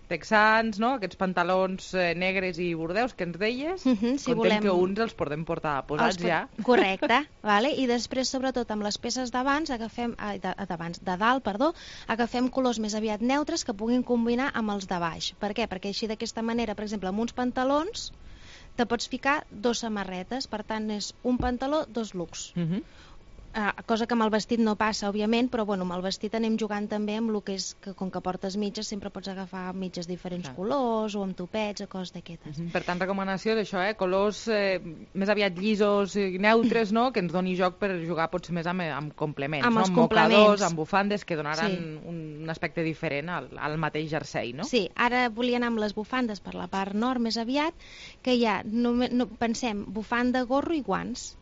Texans, no? Aquests pantalons negres i bordeus que ens deies, contem que uns els podem portar posats ja. Correcte, i després, sobretot, amb les peces de dalt, agafem colors més aviat neutres que puguin combinar amb els de baix. Per què? Perquè així d'aquesta manera, per exemple, amb uns pantalons te pots ficar 2 samarretes, per tant és un pantaló, 2 looks. Cosa que amb el vestit no passa, òbviament, però amb el vestit anem jugant també amb el que és que com que portes mitges sempre pots agafar mitges diferents colors o amb topets o coses d'aquestes. Per tant, recomanació d'això, colors més aviat llisos i neutres, no? Que ens doni joc per jugar potser més amb complements, amb els mocadors, amb bufandes que donaran un aspecte diferent al mateix jersei, no? Sí, ara volia anar amb les bufandes per la part nord més aviat, que ja pensem bufanda, gorro i guants.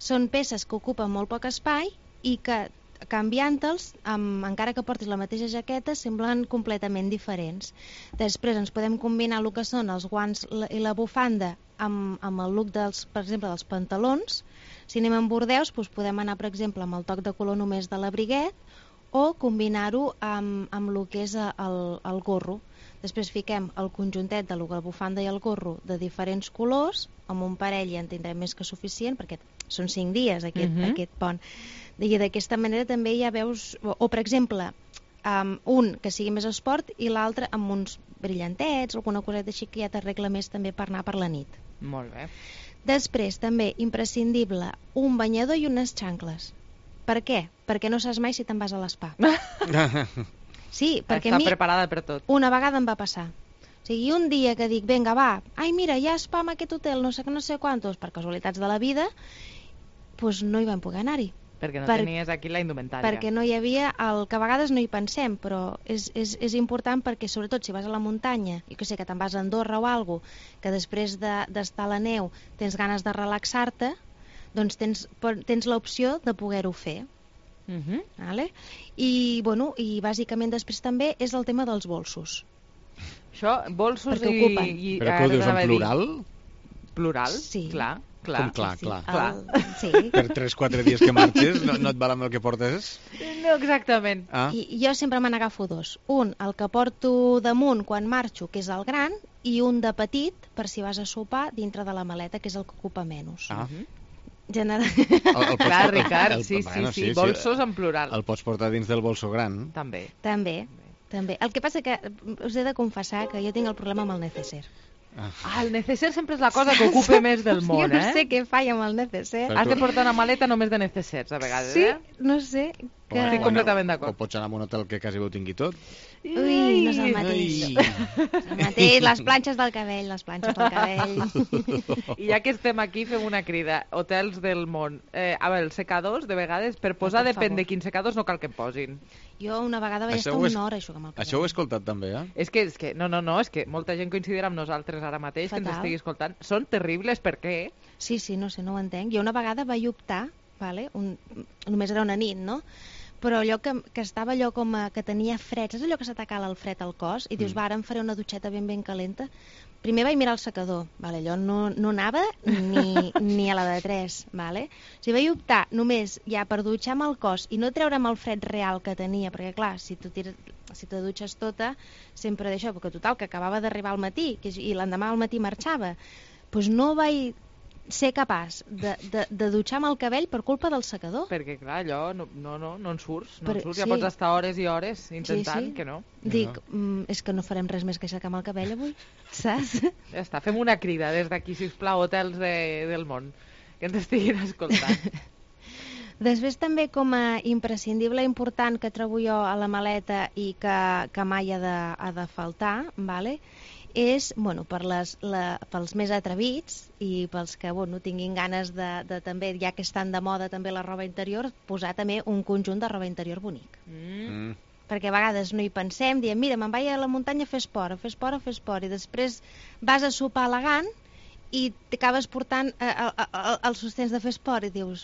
Són peces que ocupen molt poc espai i que, canviant-los, encara que portis la mateixa jaqueta, semblen completament diferents. Després ens podem combinar el que són els guants i la bufanda amb el look, per exemple, dels pantalons. Si anem amb bordeus, podem anar, per exemple, amb el toc de color només de l'abriguet o combinar-ho amb el que és el gorro. Després fiquem el conjuntet de la bufanda i el gorro de diferents colors, amb un parell ja en tindrem més que suficient, perquè són 5 dies aquest pont. I d'aquesta manera també ja veus, o per exemple, un que sigui més esport i l'altre amb uns brillantets, alguna coseta així que ja t'arregla més també per anar per la nit. Molt bé. Després també, imprescindible, un banyador i unes xancles. Per què? Perquè no saps mai si te'n vas a l'espa. Sí, perquè a mi preparada per tot. Una vegada em va passar. O sigui, un dia que dic, vinga, va, ai, mira, hi ha spa en aquest hotel, no sé quantos, per casualitats de la vida, doncs no hi vam poder anar-hi. Perquè no tenies aquí la indumentària. Perquè no hi havia, que a vegades no hi pensem, però és important perquè, sobretot, si vas a la muntanya, i que sé que te'n vas a Andorra o alguna cosa, que després d'estar a la neu tens ganes de relaxar-te, doncs tens l'opció de poder-ho fer. I bàsicament després també és el tema dels bolsos. Això, bolsos i... Però que ho dius en plural? Plural, sí. Clar. Com clar. Sí. Per 3-4 dies que marxes no et val amb el que portes? No, exactament. I jo sempre me n'agafo dos. Un, el que porto damunt quan marxo, que és el gran, i un de petit, per si vas a sopar, dintre de la maleta, que és el que ocupa menys. Clar, Ricard, sí, bolsos en plural. El pots portar dins del bolso gran? També. El que passa que us he de confessar que jo tinc el problema amb el neceser. El neceser sempre és la cosa que ocupa més del món, Jo no sé què faig amb el neceser. Has de portar una maleta només de necessers, a vegades, Sí, no sé. Estic completament d'acord. O pots anar a un hotel que quasi ho tingui tot. Ui, no és el mateix. Les planxes del cabell, I ja que estem aquí, fem una crida. Hotels del món. Els secadors, de vegades, per posar, depèn de quins secadors, no cal que em posin. Jo una vegada vaig estar una hora aixugant el cabell. Això ho he escoltat també, És que molta gent coincidirà amb nosaltres ara mateix, que ens estigui escoltant. Són terribles, per què? Sí, no sé, no ho entenc. Jo una vegada vaig optar, només era una nit, no?, però allò que estava allò com que tenia fred, és allò que s'atacava el fred al cos, i dius, ara em faré una dutxeta ben calenta. Primer vaig mirar el secador, allò no anava ni a la de 3, o sigui, vaig optar només ja per dutxar-me el cos i no treure'm el fred real que tenia, perquè clar, si te dutxes tota, sempre d'això, perquè total, que acabava d'arribar al matí, i l'endemà al matí marxava, doncs no vaig ser capaç de dutxar-me el cabell per culpa del secador. Perquè, clar, allò no en surts. Ja pots estar hores i hores intentant que no. Dic, és que no farem res més que aixecar-me el cabell avui, saps? Ja està, fem una crida des d'aquí, sisplau, hotels del món, que ens estiguin escoltant. Després també com a imprescindible important que trobo jo a la maleta i que mai ha de faltar, és, pels més atrevits i pels que tinguin ganes de també, ja que estan de moda també la roba interior, posar també un conjunt de roba interior bonic. Perquè a vegades no hi pensem, diem, mira, me'n vaig a la muntanya a fer esport, i després vas a sopar elegant i t'acabes portant els sostens de fer esport i dius...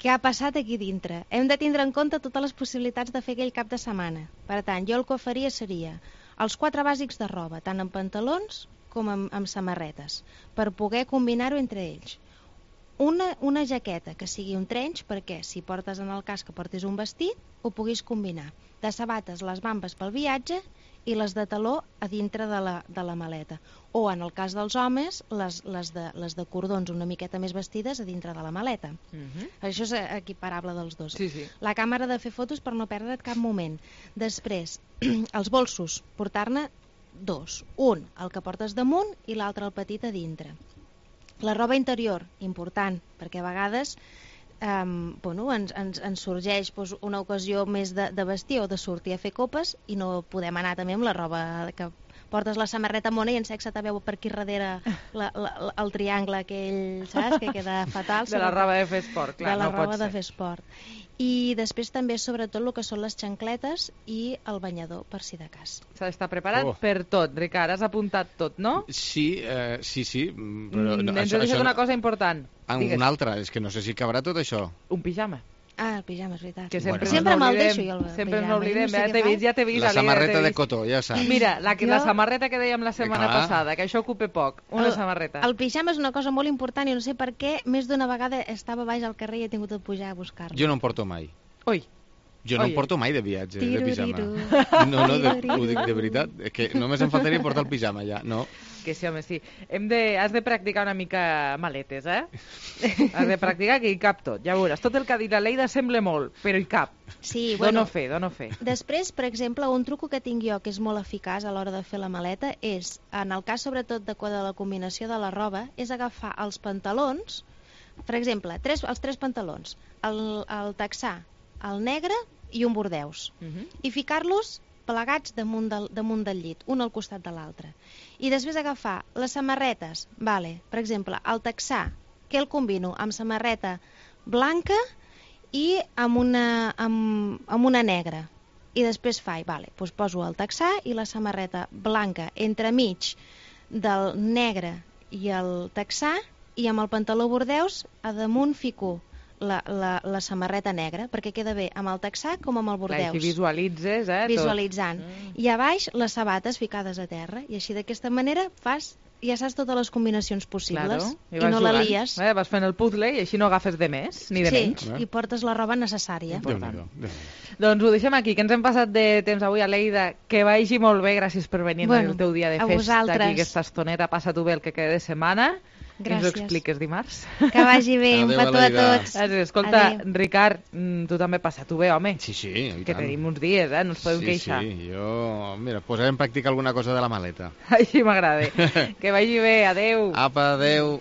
Què ha passat aquí dintre? Hem de tindre en compte totes les possibilitats de fer aquell cap de setmana. Per tant, jo el que faria seria els 4 bàsics de roba, tant en pantalons com en samarretes, per poder combinar-ho entre ells. Una jaqueta que sigui un trench, perquè si portes en el cas que portis un vestit, ho puguis combinar. De sabates, les bambes pel viatge i les de taló a dintre de la maleta. O, en el cas dels homes, les de cordons una miqueta més vestides a dintre de la maleta. Això és equiparable dels dos. La càmera de fer fotos per no perdre't cap moment. Després, els bolsos, portar-ne 2. Un, el que portes damunt, i l'altre, el petit, a dintre. La roba interior, important, perquè a vegades ens sorgeix una ocasió més de vestir o de sortir a fer copes i no podem anar també amb la roba que portes la samarreta mona i en sexe te veu per aquí darrere el triangle aquell, saps? Que queda fatal. De la roba de fer esport, clar, no pot ser. De la roba de fer esport. I després també, sobretot, el que són les xancletes i el banyador, per si de cas. S'ha d'estar preparat per tot, Ricard. Has apuntat tot, no? Sí. Però ens has deixat una cosa important. Una altra, és que no sé si cabrà tot això. Un pijama. El pijama, és veritat. Que sempre me'l deixo jo, el pijama. Sempre ens n'oblidem, ja t'he vist. La samarreta de cotó, ja saps. Mira, la samarreta que dèiem la setmana passada, que això ocupa poc, una samarreta. El pijama és una cosa molt important i no sé per què més d'una vegada estava baix al carrer i he tingut de pujar a buscar-lo. Jo no em porto mai. Oi. Jo no em porto mai de viatge, de pijama. No, ho dic de veritat. Que només em faltaria portar el pijama ja, no. Que sí, home, sí. Has de practicar una mica maletes, Has de practicar que hi cap tot. Ja veuràs, tot el que ha dit la Leida sembla molt, però hi cap. Sí, dono fe. Després, per exemple, un truco que tinc jo que és molt eficaç a l'hora de fer la maleta és, en el cas sobretot de la combinació de la roba, és agafar els pantalons, per exemple, els 3 pantalons, el texà, el negre i un bordeus, i ficar-los plegats damunt del llit, un al costat de l'altre. I després agafar les samarretes, per exemple, el texà, que el combino amb samarreta blanca i amb una negra. I després doncs poso el texà i la samarreta blanca entremig del negre i el texà, i amb el pantaló bordeus a damunt fico la samarreta negra, perquè queda bé amb el texà com amb el bordeus. Clar, i visualitzes, Visualitzant. I a baix les sabates ficades a terra, i així d'aquesta manera fas ja saps totes les combinacions possibles i no jugant, la lies. Vas fent el puzzle i així no agafes de més ni de menys. Sí, i portes la roba necessària. Doncs ho deixem aquí, que ens hem passat de temps avui a Lleida. Que vagi molt bé, gràcies per venir el teu dia de festa aquí aquesta estoneta. Passa-t'ho bé el que queda de setmana. Gràcies. Ens ho expliques dimarts. Que vagi bé, un petó a tots. Escolta, Ricard, tu també passa-t'ho bé, home. Sí, que tenim uns dies, no ens podem queixar. Sí, jo, mira, posaré en pràctica alguna cosa de la maleta. Així m'agrada. Que vagi bé, adeu. Apa, adeu.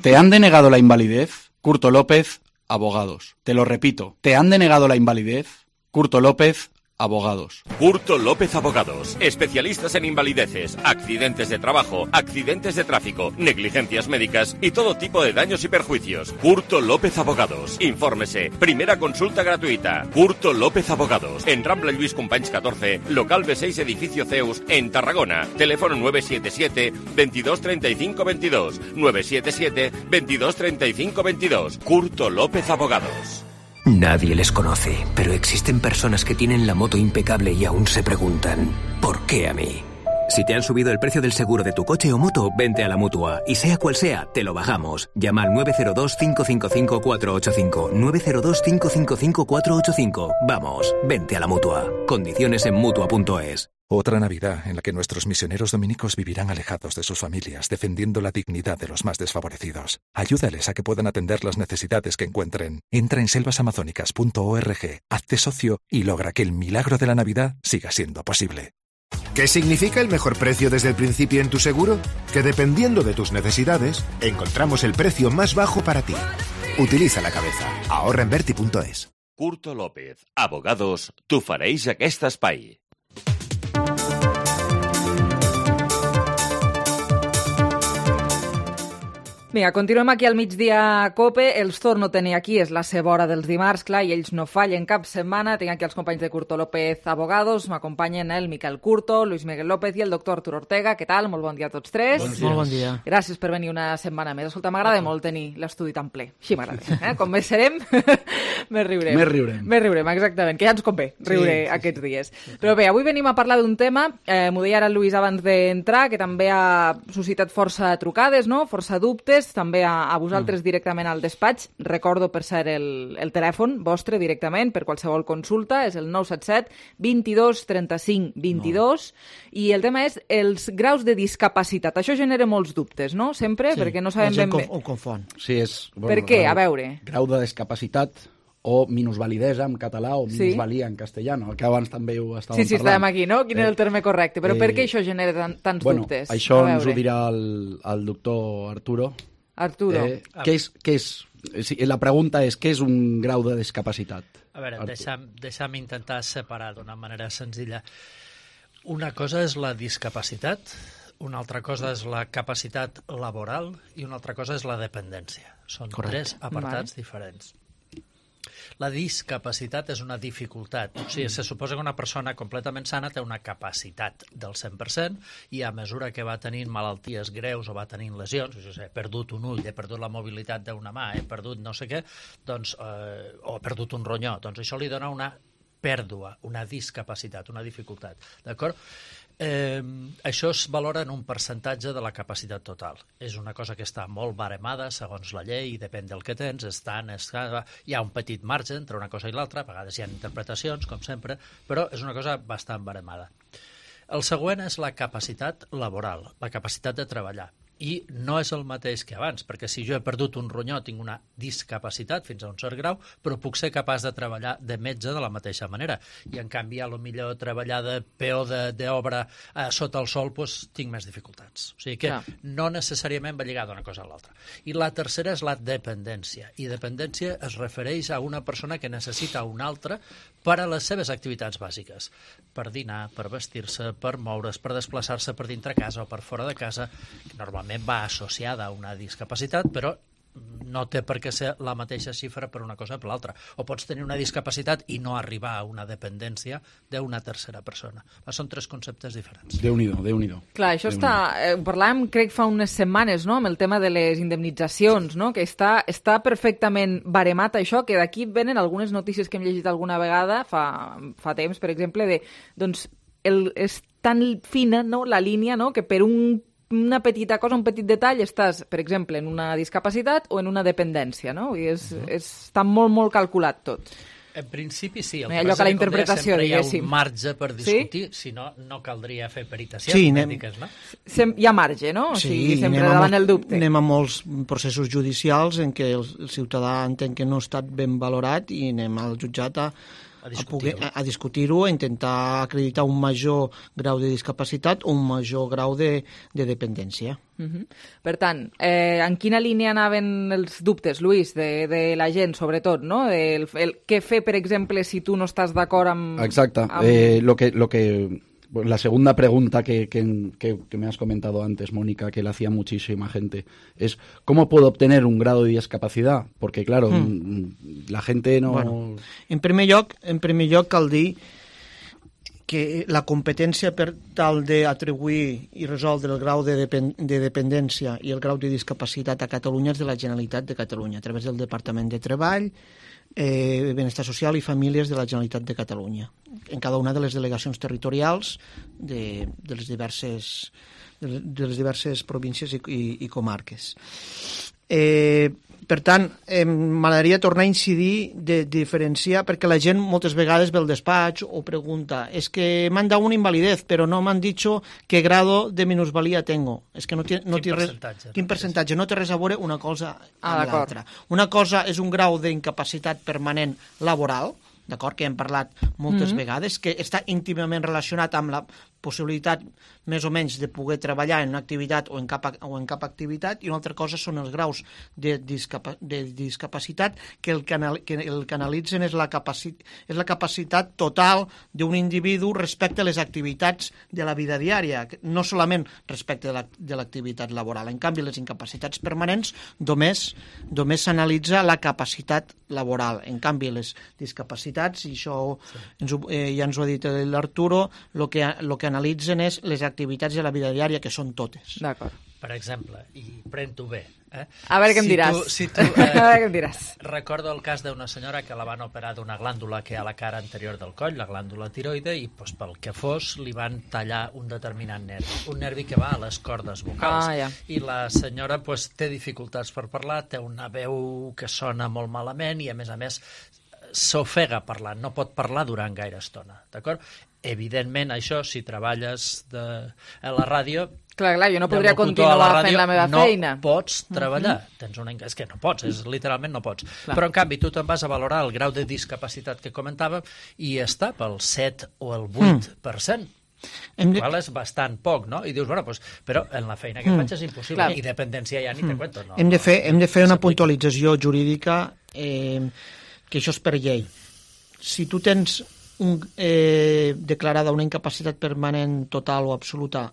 ¿Te han denegado la invalidez? Curto López, abogados. Te lo repito, ¿te han denegado la invalidez? Curto López, abogados. Curto López Abogados, especialistas en invalideces, accidentes de trabajo, accidentes de tráfico, negligencias médicas y todo tipo de daños y perjuicios. Curto López Abogados. Infórmese. Primera consulta gratuita. Curto López Abogados. En Rambla Lluís Companys 14, local B6, edificio Zeus, en Tarragona. Teléfono 977 22 35 22. 977 22 35 22. Curto López Abogados. Nadie les conoce, pero existen personas que tienen la moto impecable y aún se preguntan, ¿por qué a mí? Si te han subido el precio del seguro de tu coche o moto, vente a la Mutua. Y sea cual sea, te lo bajamos. Llama al 902-555-485. 902-555-485. Vamos, vente a la Mutua. Condiciones en Mutua.es. Otra Navidad en la que nuestros misioneros dominicos vivirán alejados de sus familias, defendiendo la dignidad de los más desfavorecidos. Ayúdales a que puedan atender las necesidades que encuentren. Entra en selvasamazónicas.org, hazte socio y logra que el milagro de la Navidad siga siendo posible. ¿Qué significa el mejor precio desde el principio en tu seguro? Que dependiendo de tus necesidades, encontramos el precio más bajo para ti. Utiliza la cabeza. Ahorra en Berti.es. Curto López, abogados, tu fareix aquest espai. Vinga, continuem aquí al migdia a COPE. Els torno a tenir aquí, és la seva hora dels dimarts, clar, i ells no fallen cap setmana. Tinc aquí els companys de Curto López Abogados. M'acompanyen el Miquel Curto, Luis Miguel López i el doctor Arturo Ortega. Què tal? Molt bon dia a tots tres. Molt bon dia. Gràcies per venir una setmana més. Escolta, m'agrada molt tenir l'estudi tan ple. Així m'agrada. Com més serem, més riurem. Més riurem, exactament. Que ja ens convé riure aquests dies. Però bé, avui venim a parlar d'un tema, m'ho deia ara el Luis abans d'entrar, que també ha suscitat força trucades, no? Força dubtes, també a vosaltres directament al despatx. Recordo, per cert, el telèfon vostre directament per qualsevol consulta, és el 977 22 35 22, i el tema és els graus de discapacitat. Això genera molts dubtes, no? Sempre, perquè no sabem ben bé. Ho confon. Sí, és... Per què? A veure. Grau de discapacitat o minusvalidesa en català o minusvalia en castellano, que abans també ho estàvem parlant. Sí, estàvem aquí, no? Quin és el terme correcte? Però per què això genera tants dubtes? Això ens ho dirà el doctor Arturo. Arturo. La pregunta és, què és un grau de discapacitat? A veure, deixa'm intentar separar d'una manera senzilla. Una cosa és la discapacitat, una altra cosa és la capacitat laboral i una altra cosa és la dependència. Són tres apartats diferents. La discapacitat és una dificultat. O sigui, se suposa que una persona completament sana té una capacitat del 100% i a mesura que va tenint malalties greus o va tenint lesions, he perdut un ull, he perdut la mobilitat d'una mà, he perdut no sé què, doncs, o he perdut un ronyó, doncs això li dona una pèrdua, una discapacitat, una dificultat. D'acord? Això es valora en un percentatge de la capacitat total. És una cosa que està molt baremada segons la llei, depèn del que tens, hi ha un petit marge entre una cosa i l'altra, a vegades hi ha interpretacions, com sempre, però és una cosa bastant baremada. El següent és la capacitat laboral, la capacitat de treballar. I no és el mateix que abans, perquè si jo he perdut un ronyó tinc una discapacitat fins a un cert grau, però puc ser capaç de treballar de metge de la mateixa manera. I en canvi, a lo millor treballar de peó d'obra sota el sol, doncs tinc més dificultats. O sigui que no necessàriament va lligada una cosa a l'altra. I la tercera és la dependència. I dependència es refereix a una persona que necessita una altra per a les seves activitats bàsiques. Per dinar, per vestir-se, per moure's, per desplaçar-se per dintre casa o per fora de casa, que normalment va associada a una discapacitat, però no té per què ser la mateixa xifra per una cosa o per l'altra. O pots tenir una discapacitat i no arribar a una dependència d'una tercera persona. Són 3 conceptes diferents. Déu-n'hi-do. Clar, això està... parlàvem, crec, fa unes setmanes, no?, amb el tema de les indemnitzacions, no?, que està perfectament baremat això, que d'aquí venen algunes notícies que hem llegit alguna vegada fa temps, per exemple, de, doncs, és tan fina, no?, la línia, no?, que per una petita cosa, un petit detall, estàs, per exemple, en una discapacitat o en una dependència, no? I està molt, molt calculat tot. En principi sí, el que la interpretació, sempre hi ha un marge per discutir, si no, no caldria fer peritacions mèdiques, no? Hi ha marge, no? O sigui, sempre davant el dubte. Anem a molts processos judicials en què el ciutadà entén que no ha estat ben valorat i anem al jutjat a discutir-ho, a intentar acreditar un major grau de discapacitat o un major grau de dependència. Per tant, en quina línia anaven els dubtes, Luis, de la gent, sobretot, no? Què fer, per exemple, si tu no estàs d'acord amb... Exacte. La segunda pregunta que me has comentado antes, Mónica, que le hacía muchísima gente, es ¿cómo puedo obtener un grado de discapacidad? Porque, claro, la gente no... Bueno, en primer lloc cal dir que la competència per tal d'atribuir i resoldre el grau de dependència i el grau de discapacitat a Catalunya és de la Generalitat de Catalunya, a través del Departament de Treball, Benestar Social i Famílies de la Generalitat de Catalunya, en cada una de les delegacions territorials de les diverses províncies i comarques. Per tant, m'agradaria tornar a incidir de diferenciar, perquè la gent moltes vegades ve al despatx o pregunta, és que m'han dado una invalidez, però no m'han dit qué grado de minusvalía tengo. És que quin percentatge. No té res a veure una cosa amb l'altra. Una cosa és un grau d'incapacitat permanent laboral, d'acord, que hem parlat moltes vegades, que està íntimament relacionat amb la possibilitat més o menys de poder treballar en una activitat o en cap activitat, i una altra cosa són els graus de discapacitat que el que analitzen és la capacitat total d'un individu respecte a les activitats de la vida diària, no solament respecte de l'activitat laboral. En canvi, les incapacitats permanents només s'analitza la capacitat laboral. En canvi, les discapacitats, i això ja ens ho ha dit l'Arturo, el que analitzen és les activitats de la vida diària, que són totes. D'acord. Per exemple, i pren-t'ho bé. A veure què em diràs. A veure què em diràs. Recordo el cas d'una senyora que la van operar d'una glàndula que hi ha a la cara anterior del coll, la glàndula tiroide, i pel que fos li van tallar un determinat nervi, un nervi que va a les cordes vocals. I la senyora té dificultats per parlar, té una veu que sona molt malament i, a més, s'ofega parlant, no pot parlar durant gaire estona, d'acord? Evidentment, això, si treballes a la ràdio... Clar, jo no podria continuar fent la meva feina. No pots treballar. És que no pots, literalment no pots. Però, en canvi, tu te'n vas a valorar el grau de discapacitat que comentàvem i està pel 7 o el 8%. Qual és bastant poc, no? I dius, però en la feina que faig és impossible. I dependència ja ni te cuento. Hem de fer una puntualització jurídica, que això és per llei. Si tu tens declarada una incapacitat permanent total o absoluta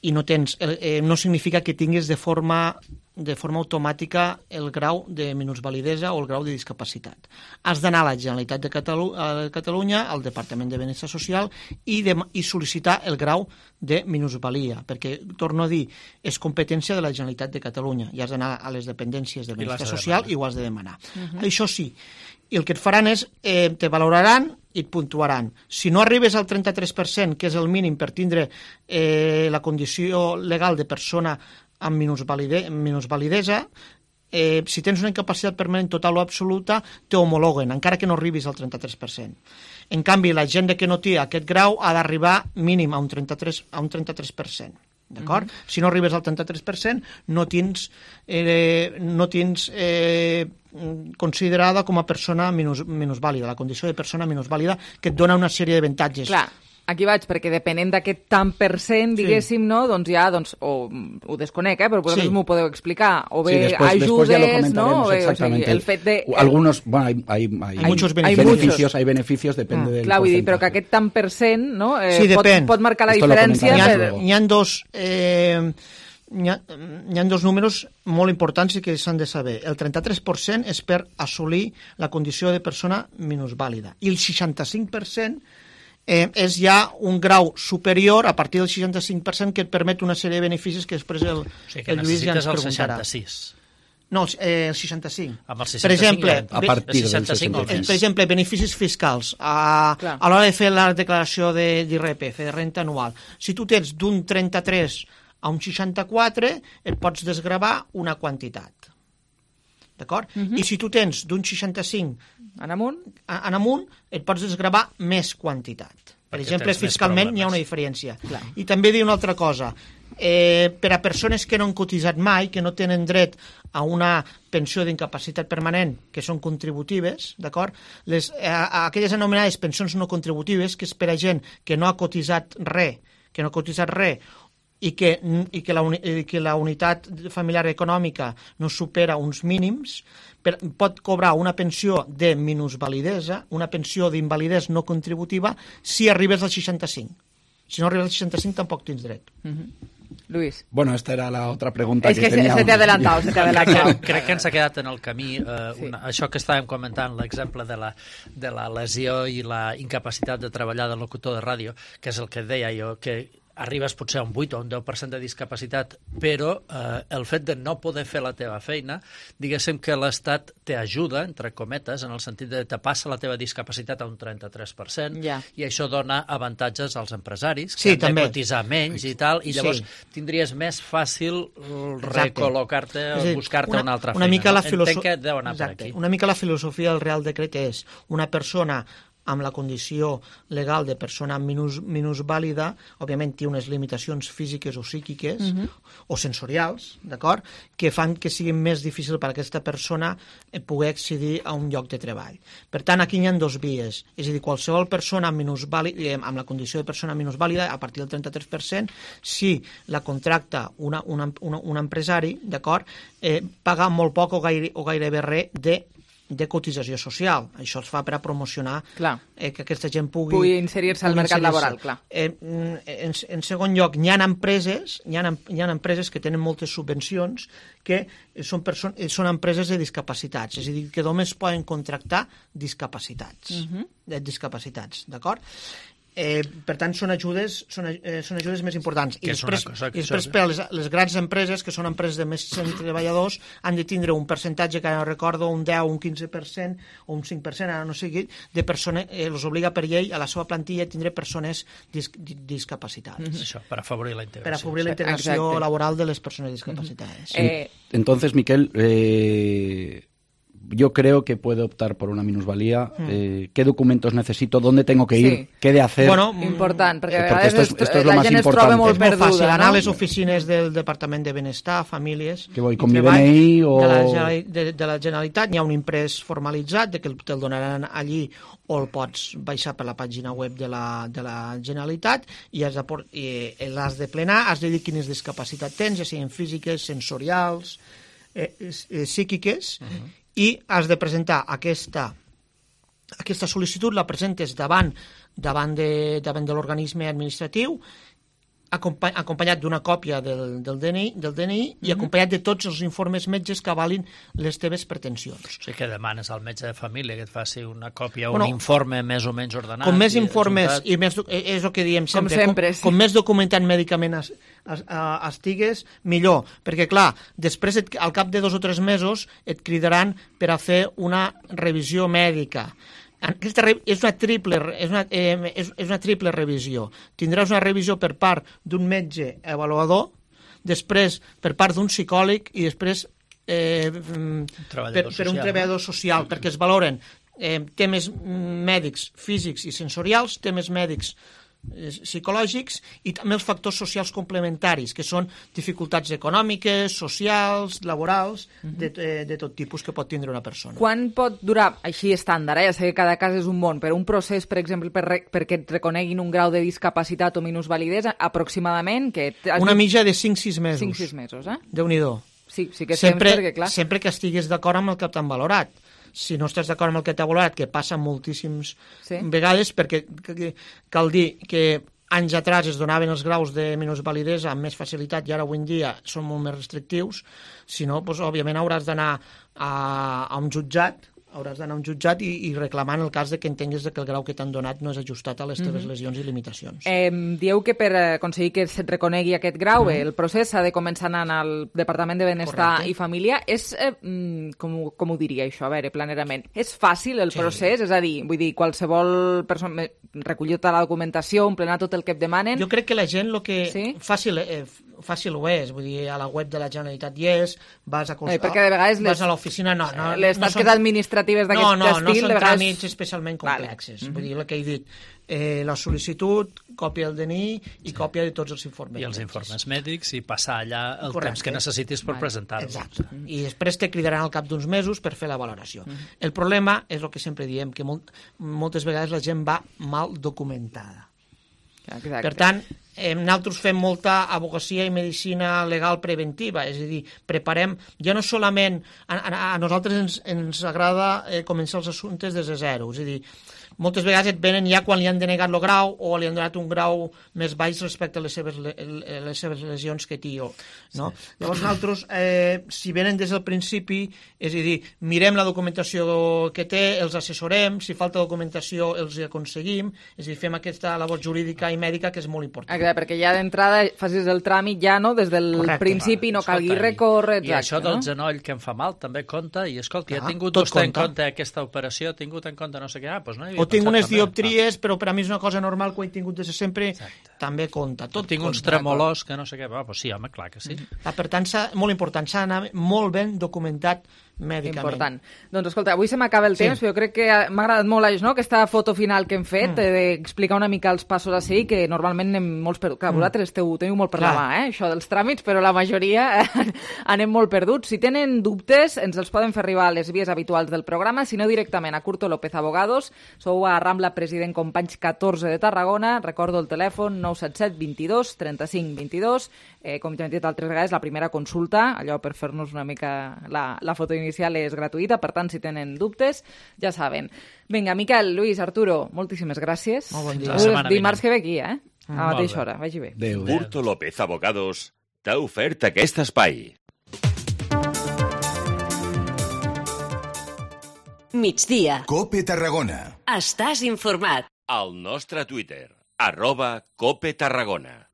i no tens, no significa que tinguis de forma automàtica el grau de minusvalidesa o el grau de discapacitat. Has d'anar a la Generalitat de Catalunya, al Departament de Benestar Social, i sol·licitar el grau de minusvalia, perquè, torno a dir, és competència de la Generalitat de Catalunya, i has d'anar a les dependències de Benestar Social i ho has de demanar. Això sí, i el que et faran és, te valoraran i et puntuaran. Si no arribes al 33%, que és el mínim per tindre la condició legal de persona amb minusvalidesa, si tens una incapacitat permanent total o absoluta, t'homologuen, encara que no arribis al 33%. En canvi, la gent que no té aquest grau ha d'arribar mínim a un 33%. D'acord? Si no arribes al 33%, no tens considerada com a persona minusvàlida, la condició de persona minusvàlida, que et dona una sèrie d'avantatges. Clar, aquí vaig, perquè depenent d'aquest tant per cent, diguéssim, no? Doncs ja, o ho desconec, però vosaltres m'ho podeu explicar, o bé ajudes, no? El fet de... Algunos, bueno, hay muchos beneficios, hay beneficios, depende del porcentaje. Clar, vull dir, però que aquest tant per cent, no? Pot marcar la diferència. Hi ha hi ha dos números molt importants i que s'han de saber. El 33% és per assolir la condició de persona minusvàlida i el 65% és ja un grau superior a partir del 65% que et permet una sèrie de beneficis que després el Lluís ja ens preguntarà. El 66. No, el 65. Amb el 65 per exemple, a partir del 65. Per exemple, beneficis fiscals. A l'hora de fer la declaració d'IRPF, de renta anual. Si tu tens d'un 33 a un 64, et pots desgravar una quantitat. D'acord? I si tu tens d'un 65 en amunt, et pots desgravar més quantitat. Per exemple, fiscalment hi ha una diferència. Clar. I també dir una altra cosa. Per a persones que no han cotitzat mai, que no tenen dret a una pensió d'incapacitat permanent, que són contributives, d'acord? Aquelles anomenades pensions no contributives, que és per a gent que no ha cotitzat res, i que la unitat familiar econòmica no supera uns mínims, pot cobrar una pensió de minusvalidesa, una pensió d'invalidesa no contributiva, si arribes al 65. Si no arribes al 65 tampoc tens dret. Luis. Bueno, esta era la otra pregunta que tenía. Se te ha adelantado. Crec que ens ha quedat en el camí això que estàvem comentant, l'exemple de la lesió i la incapacitat de treballar del locutor de ràdio, que és el que deia jo, que arribes potser a un 8 o un 10% de discapacitat, però el fet de no poder fer la teva feina, diguéssim que l'Estat t'ajuda, entre cometes, en el sentit de te passa la teva discapacitat a un 33%, i això dona avantatges als empresaris, que han de cotitzar menys i tal, i llavors tindries més fàcil recol·locar-te o buscar-te una altra feina. Entenc que deu anar per aquí. Una mica la filosofia del Real Decret és una persona amb la condició legal de persona minusvàlida, òbviament té unes limitacions físiques o psíquiques o sensorials, d'acord?, que fan que sigui més difícil per a aquesta persona poder accedir a un lloc de treball. Per tant, aquí hi ha dues vies, és a dir, qualsevol persona amb la condició de persona minusvàlida, a partir del 33%, si la contracta un empresari, d'acord, paga molt poc o gairebé res de cotització social. Això es fa per a promocionar que aquesta gent pugui inserir-se al mercat laboral. Clar. En segon lloc, hi ha empreses que tenen moltes subvencions que són empreses de discapacitats, és a dir, que només poden contractar discapacitats, d'acord? Per tant, són ajudes més importants. I després per a les grans empreses, que són empreses de més de 100 treballadors, han de tindre un percentatge, que ara no recordo, un 10, un 15% o un 5%, ara no sé què, de persones, els obliga per llei a la seva plantilla a tindre persones discapacitades. Això, per afavorir la integració. Per afavorir la integració laboral de les persones discapacitades. Entonces, Miquel, yo creo que puedo optar por una minusvalía. ¿Qué documentos necesito? ¿Dónde tengo que ir? ¿Qué de hacer? Bueno, important, perquè esto es lo más importante. És molt fàcil, anar a les oficines del Departament de Benestar, Famílies... Que voy con mi DNI o... De la Generalitat, hi ha un imprès formalitzat, que te'l donaran allí o el pots baixar per la pàgina web de la Generalitat i l'has de plenar, has de dir quines discapacitats tens, ja siguin físiques, sensorials, psíquiques, i has de presentar aquesta sol·licitud, la presentes davant de l'organisme administratiu, acompanyat d'una còpia del DNI i acompanyat de tots els informes metges que avalin les teves pretensions. O sigui que demanes al metge de família que et faci una còpia o un informe més o menys ordenat. Com més informes, i més, és el que diem sempre, com més documentat mèdicament estigues, millor. Perquè, clar, després, al cap de 2 o 3 mesos, et cridaran per a fer una revisió mèdica. Aquesta és una triple revisió. Tindràs una revisió per part d'un metge avaluador, després per part d'un psicòleg i després per un treballador social, perquè es valoren temes mèdics, físics i sensorials, temes mèdics psicològics i també els factors socials complementaris, que són dificultats econòmiques, socials, laborals, de tot tipus que pot tindre una persona. Quan pot durar, així estàndard, ja sé que cada cas és un món, però un procés, per exemple, perquè et reconeguin un grau de discapacitat o minusvalidesa, aproximadament? Una mitja de 5-6 mesos. 5-6 mesos, Déu-n'hi-do. Sí que és temps, perquè clar... Sempre que estiguis d'acord amb el que t'han valorat. Si no estàs d'acord amb el que t'ha valorat, que passa moltíssimes vegades, perquè cal dir que anys atrás es donaven els graus de minusvalidesa amb més facilitat i ara avui en dia són molt més restrictius, si no, doncs, òbviament hauràs d'anar a un jutjat, i reclamant el cas de que entenguis que el grau que t'han donat no és ajustat a les teves lesions i limitacions. Dieu que per aconseguir que se't reconegui aquest grau, el procés s'ha de començar anant al Departament de Benestar i Família. És, com ho diria això, a veure, planerament, és fàcil el procés? És a dir, vull dir, qualsevol persona recollir tota la documentació, emplenar tot el que et demanen? Jo crec que la gent el que fàcil ho és, vull dir, a la web de la Generalitat hi és, vas a l'oficina, les tasques administratives d'aquest estil... No són tràmits especialment complexes. Vull dir, el que he dit, la sol·licitud, còpia del DNI i còpia de tots els informes. I els informes mèdics i passar allà el temps que necessitis per presentar-los. Exacte. I després te cridaran al cap d'uns mesos per fer la valoració. El problema és el que sempre diem, que moltes vegades la gent va mal documentada. Exacte. Per tant, nosaltres fem molta advocacia i medicina legal preventiva, és a dir, preparem, ja no solament, a nosaltres ens agrada començar els assumptes des de zero, és a dir, moltes vegades et venen ja quan li han denegat el grau o li han donat un grau més baix respecte a les seves lesions que té. No? Sí. Llavors nosaltres, si venen des del principi, és a dir, mirem la documentació que té, els assessorem, si falta documentació els aconseguim, és a dir, fem aquesta labor jurídica i mèdica que és molt important. Exacte, perquè ja d'entrada facis el tràmit ja, no?, des del principi, no calgui recórrer, exacte. I això del genoll que em fa mal també compta, i escolta, ha tingut vostè en compte aquesta operació, ha tingut en compte no sé què, doncs no hi havia o tinc unes dioptries, però per a mi és una cosa normal que ho he tingut des de sempre, també compta. Tinc uns tremolors que no sé què, doncs sí, home, clar que sí. Per tant, molt important, s'ha d'anar molt ben documentat mèdicament. Important. Doncs escolta, avui se m'acaba el temps, però jo crec que m'ha agradat molt aquesta foto final que hem fet, d'explicar una mica els passos a seguir, que normalment anem molts perduts. Clar, vosaltres teniu molt per la mà, això dels tràmits, però la majoria anem molt perduts. Si tenen dubtes, ens els poden fer arribar a les vies habituals del programa, si no directament a Curto López Abogados. Sou a Rambla President Companys 14 de Tarragona. Recordo el telèfon 977 22 35 22. Com ja hem dit altres vegades, la primera consulta, allò per fer-nos una mica la foto inicial és gratuïta, per tant, si tenen dubtes, ja saben. Vinga, Miquel, Lluís, Arturo, moltíssimes gràcies. Molt bon dia. Dimarts que ve aquí, a la mateixa hora. Vagi bé. Curto López Abogados t'ha ofert aquest espai. Migdia. COPE Tarragona. Estàs informat. Al nostre Twitter, @COPE Tarragona.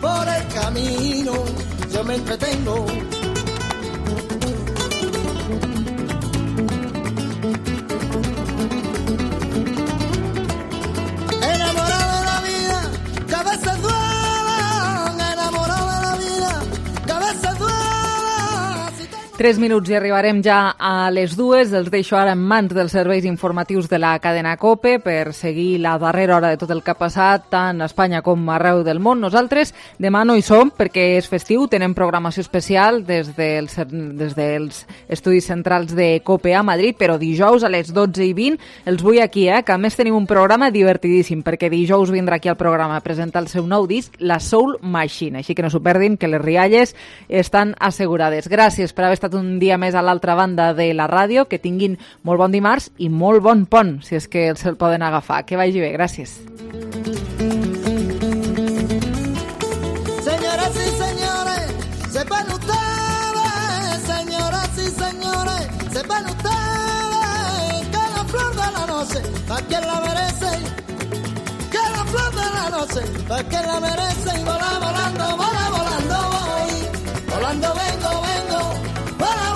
Por el camino yo me entretengo. Enamorado de la vida, que a veces duela. Enamorado de la vida, que a veces duela. 3 minuts i arribarem ja a les 2. Els deixo ara en mans dels serveis informatius de la cadena COPE per seguir la darrera hora de tot el que ha passat tant a Espanya com arreu del món. Nosaltres demà no hi som perquè és festiu, tenem programació especial des dels estudis centrals de COPE a Madrid, però dijous a les 12:20 els vull aquí, que a més tenim un programa divertidíssim, perquè dijous vindrà aquí al programa a presentar el seu nou disc, La Soul Machine, així que no s'ho perdin, que les rialles estan assegurades. Gràcies per haver estat un dia més a l'altra banda de la ràdio, que tinguin molt bon dimarts i molt bon pont, si és que se'l poden agafar. Que vagi bé, gràcies. Señoras y señores, sepan ustedes, señoras y señores, sepan ustedes que la flor de la noche, pa' quien la merece, que la flor de la noche, pa' quien la merece, y vola volando voy, volando vengo, vengo. Vola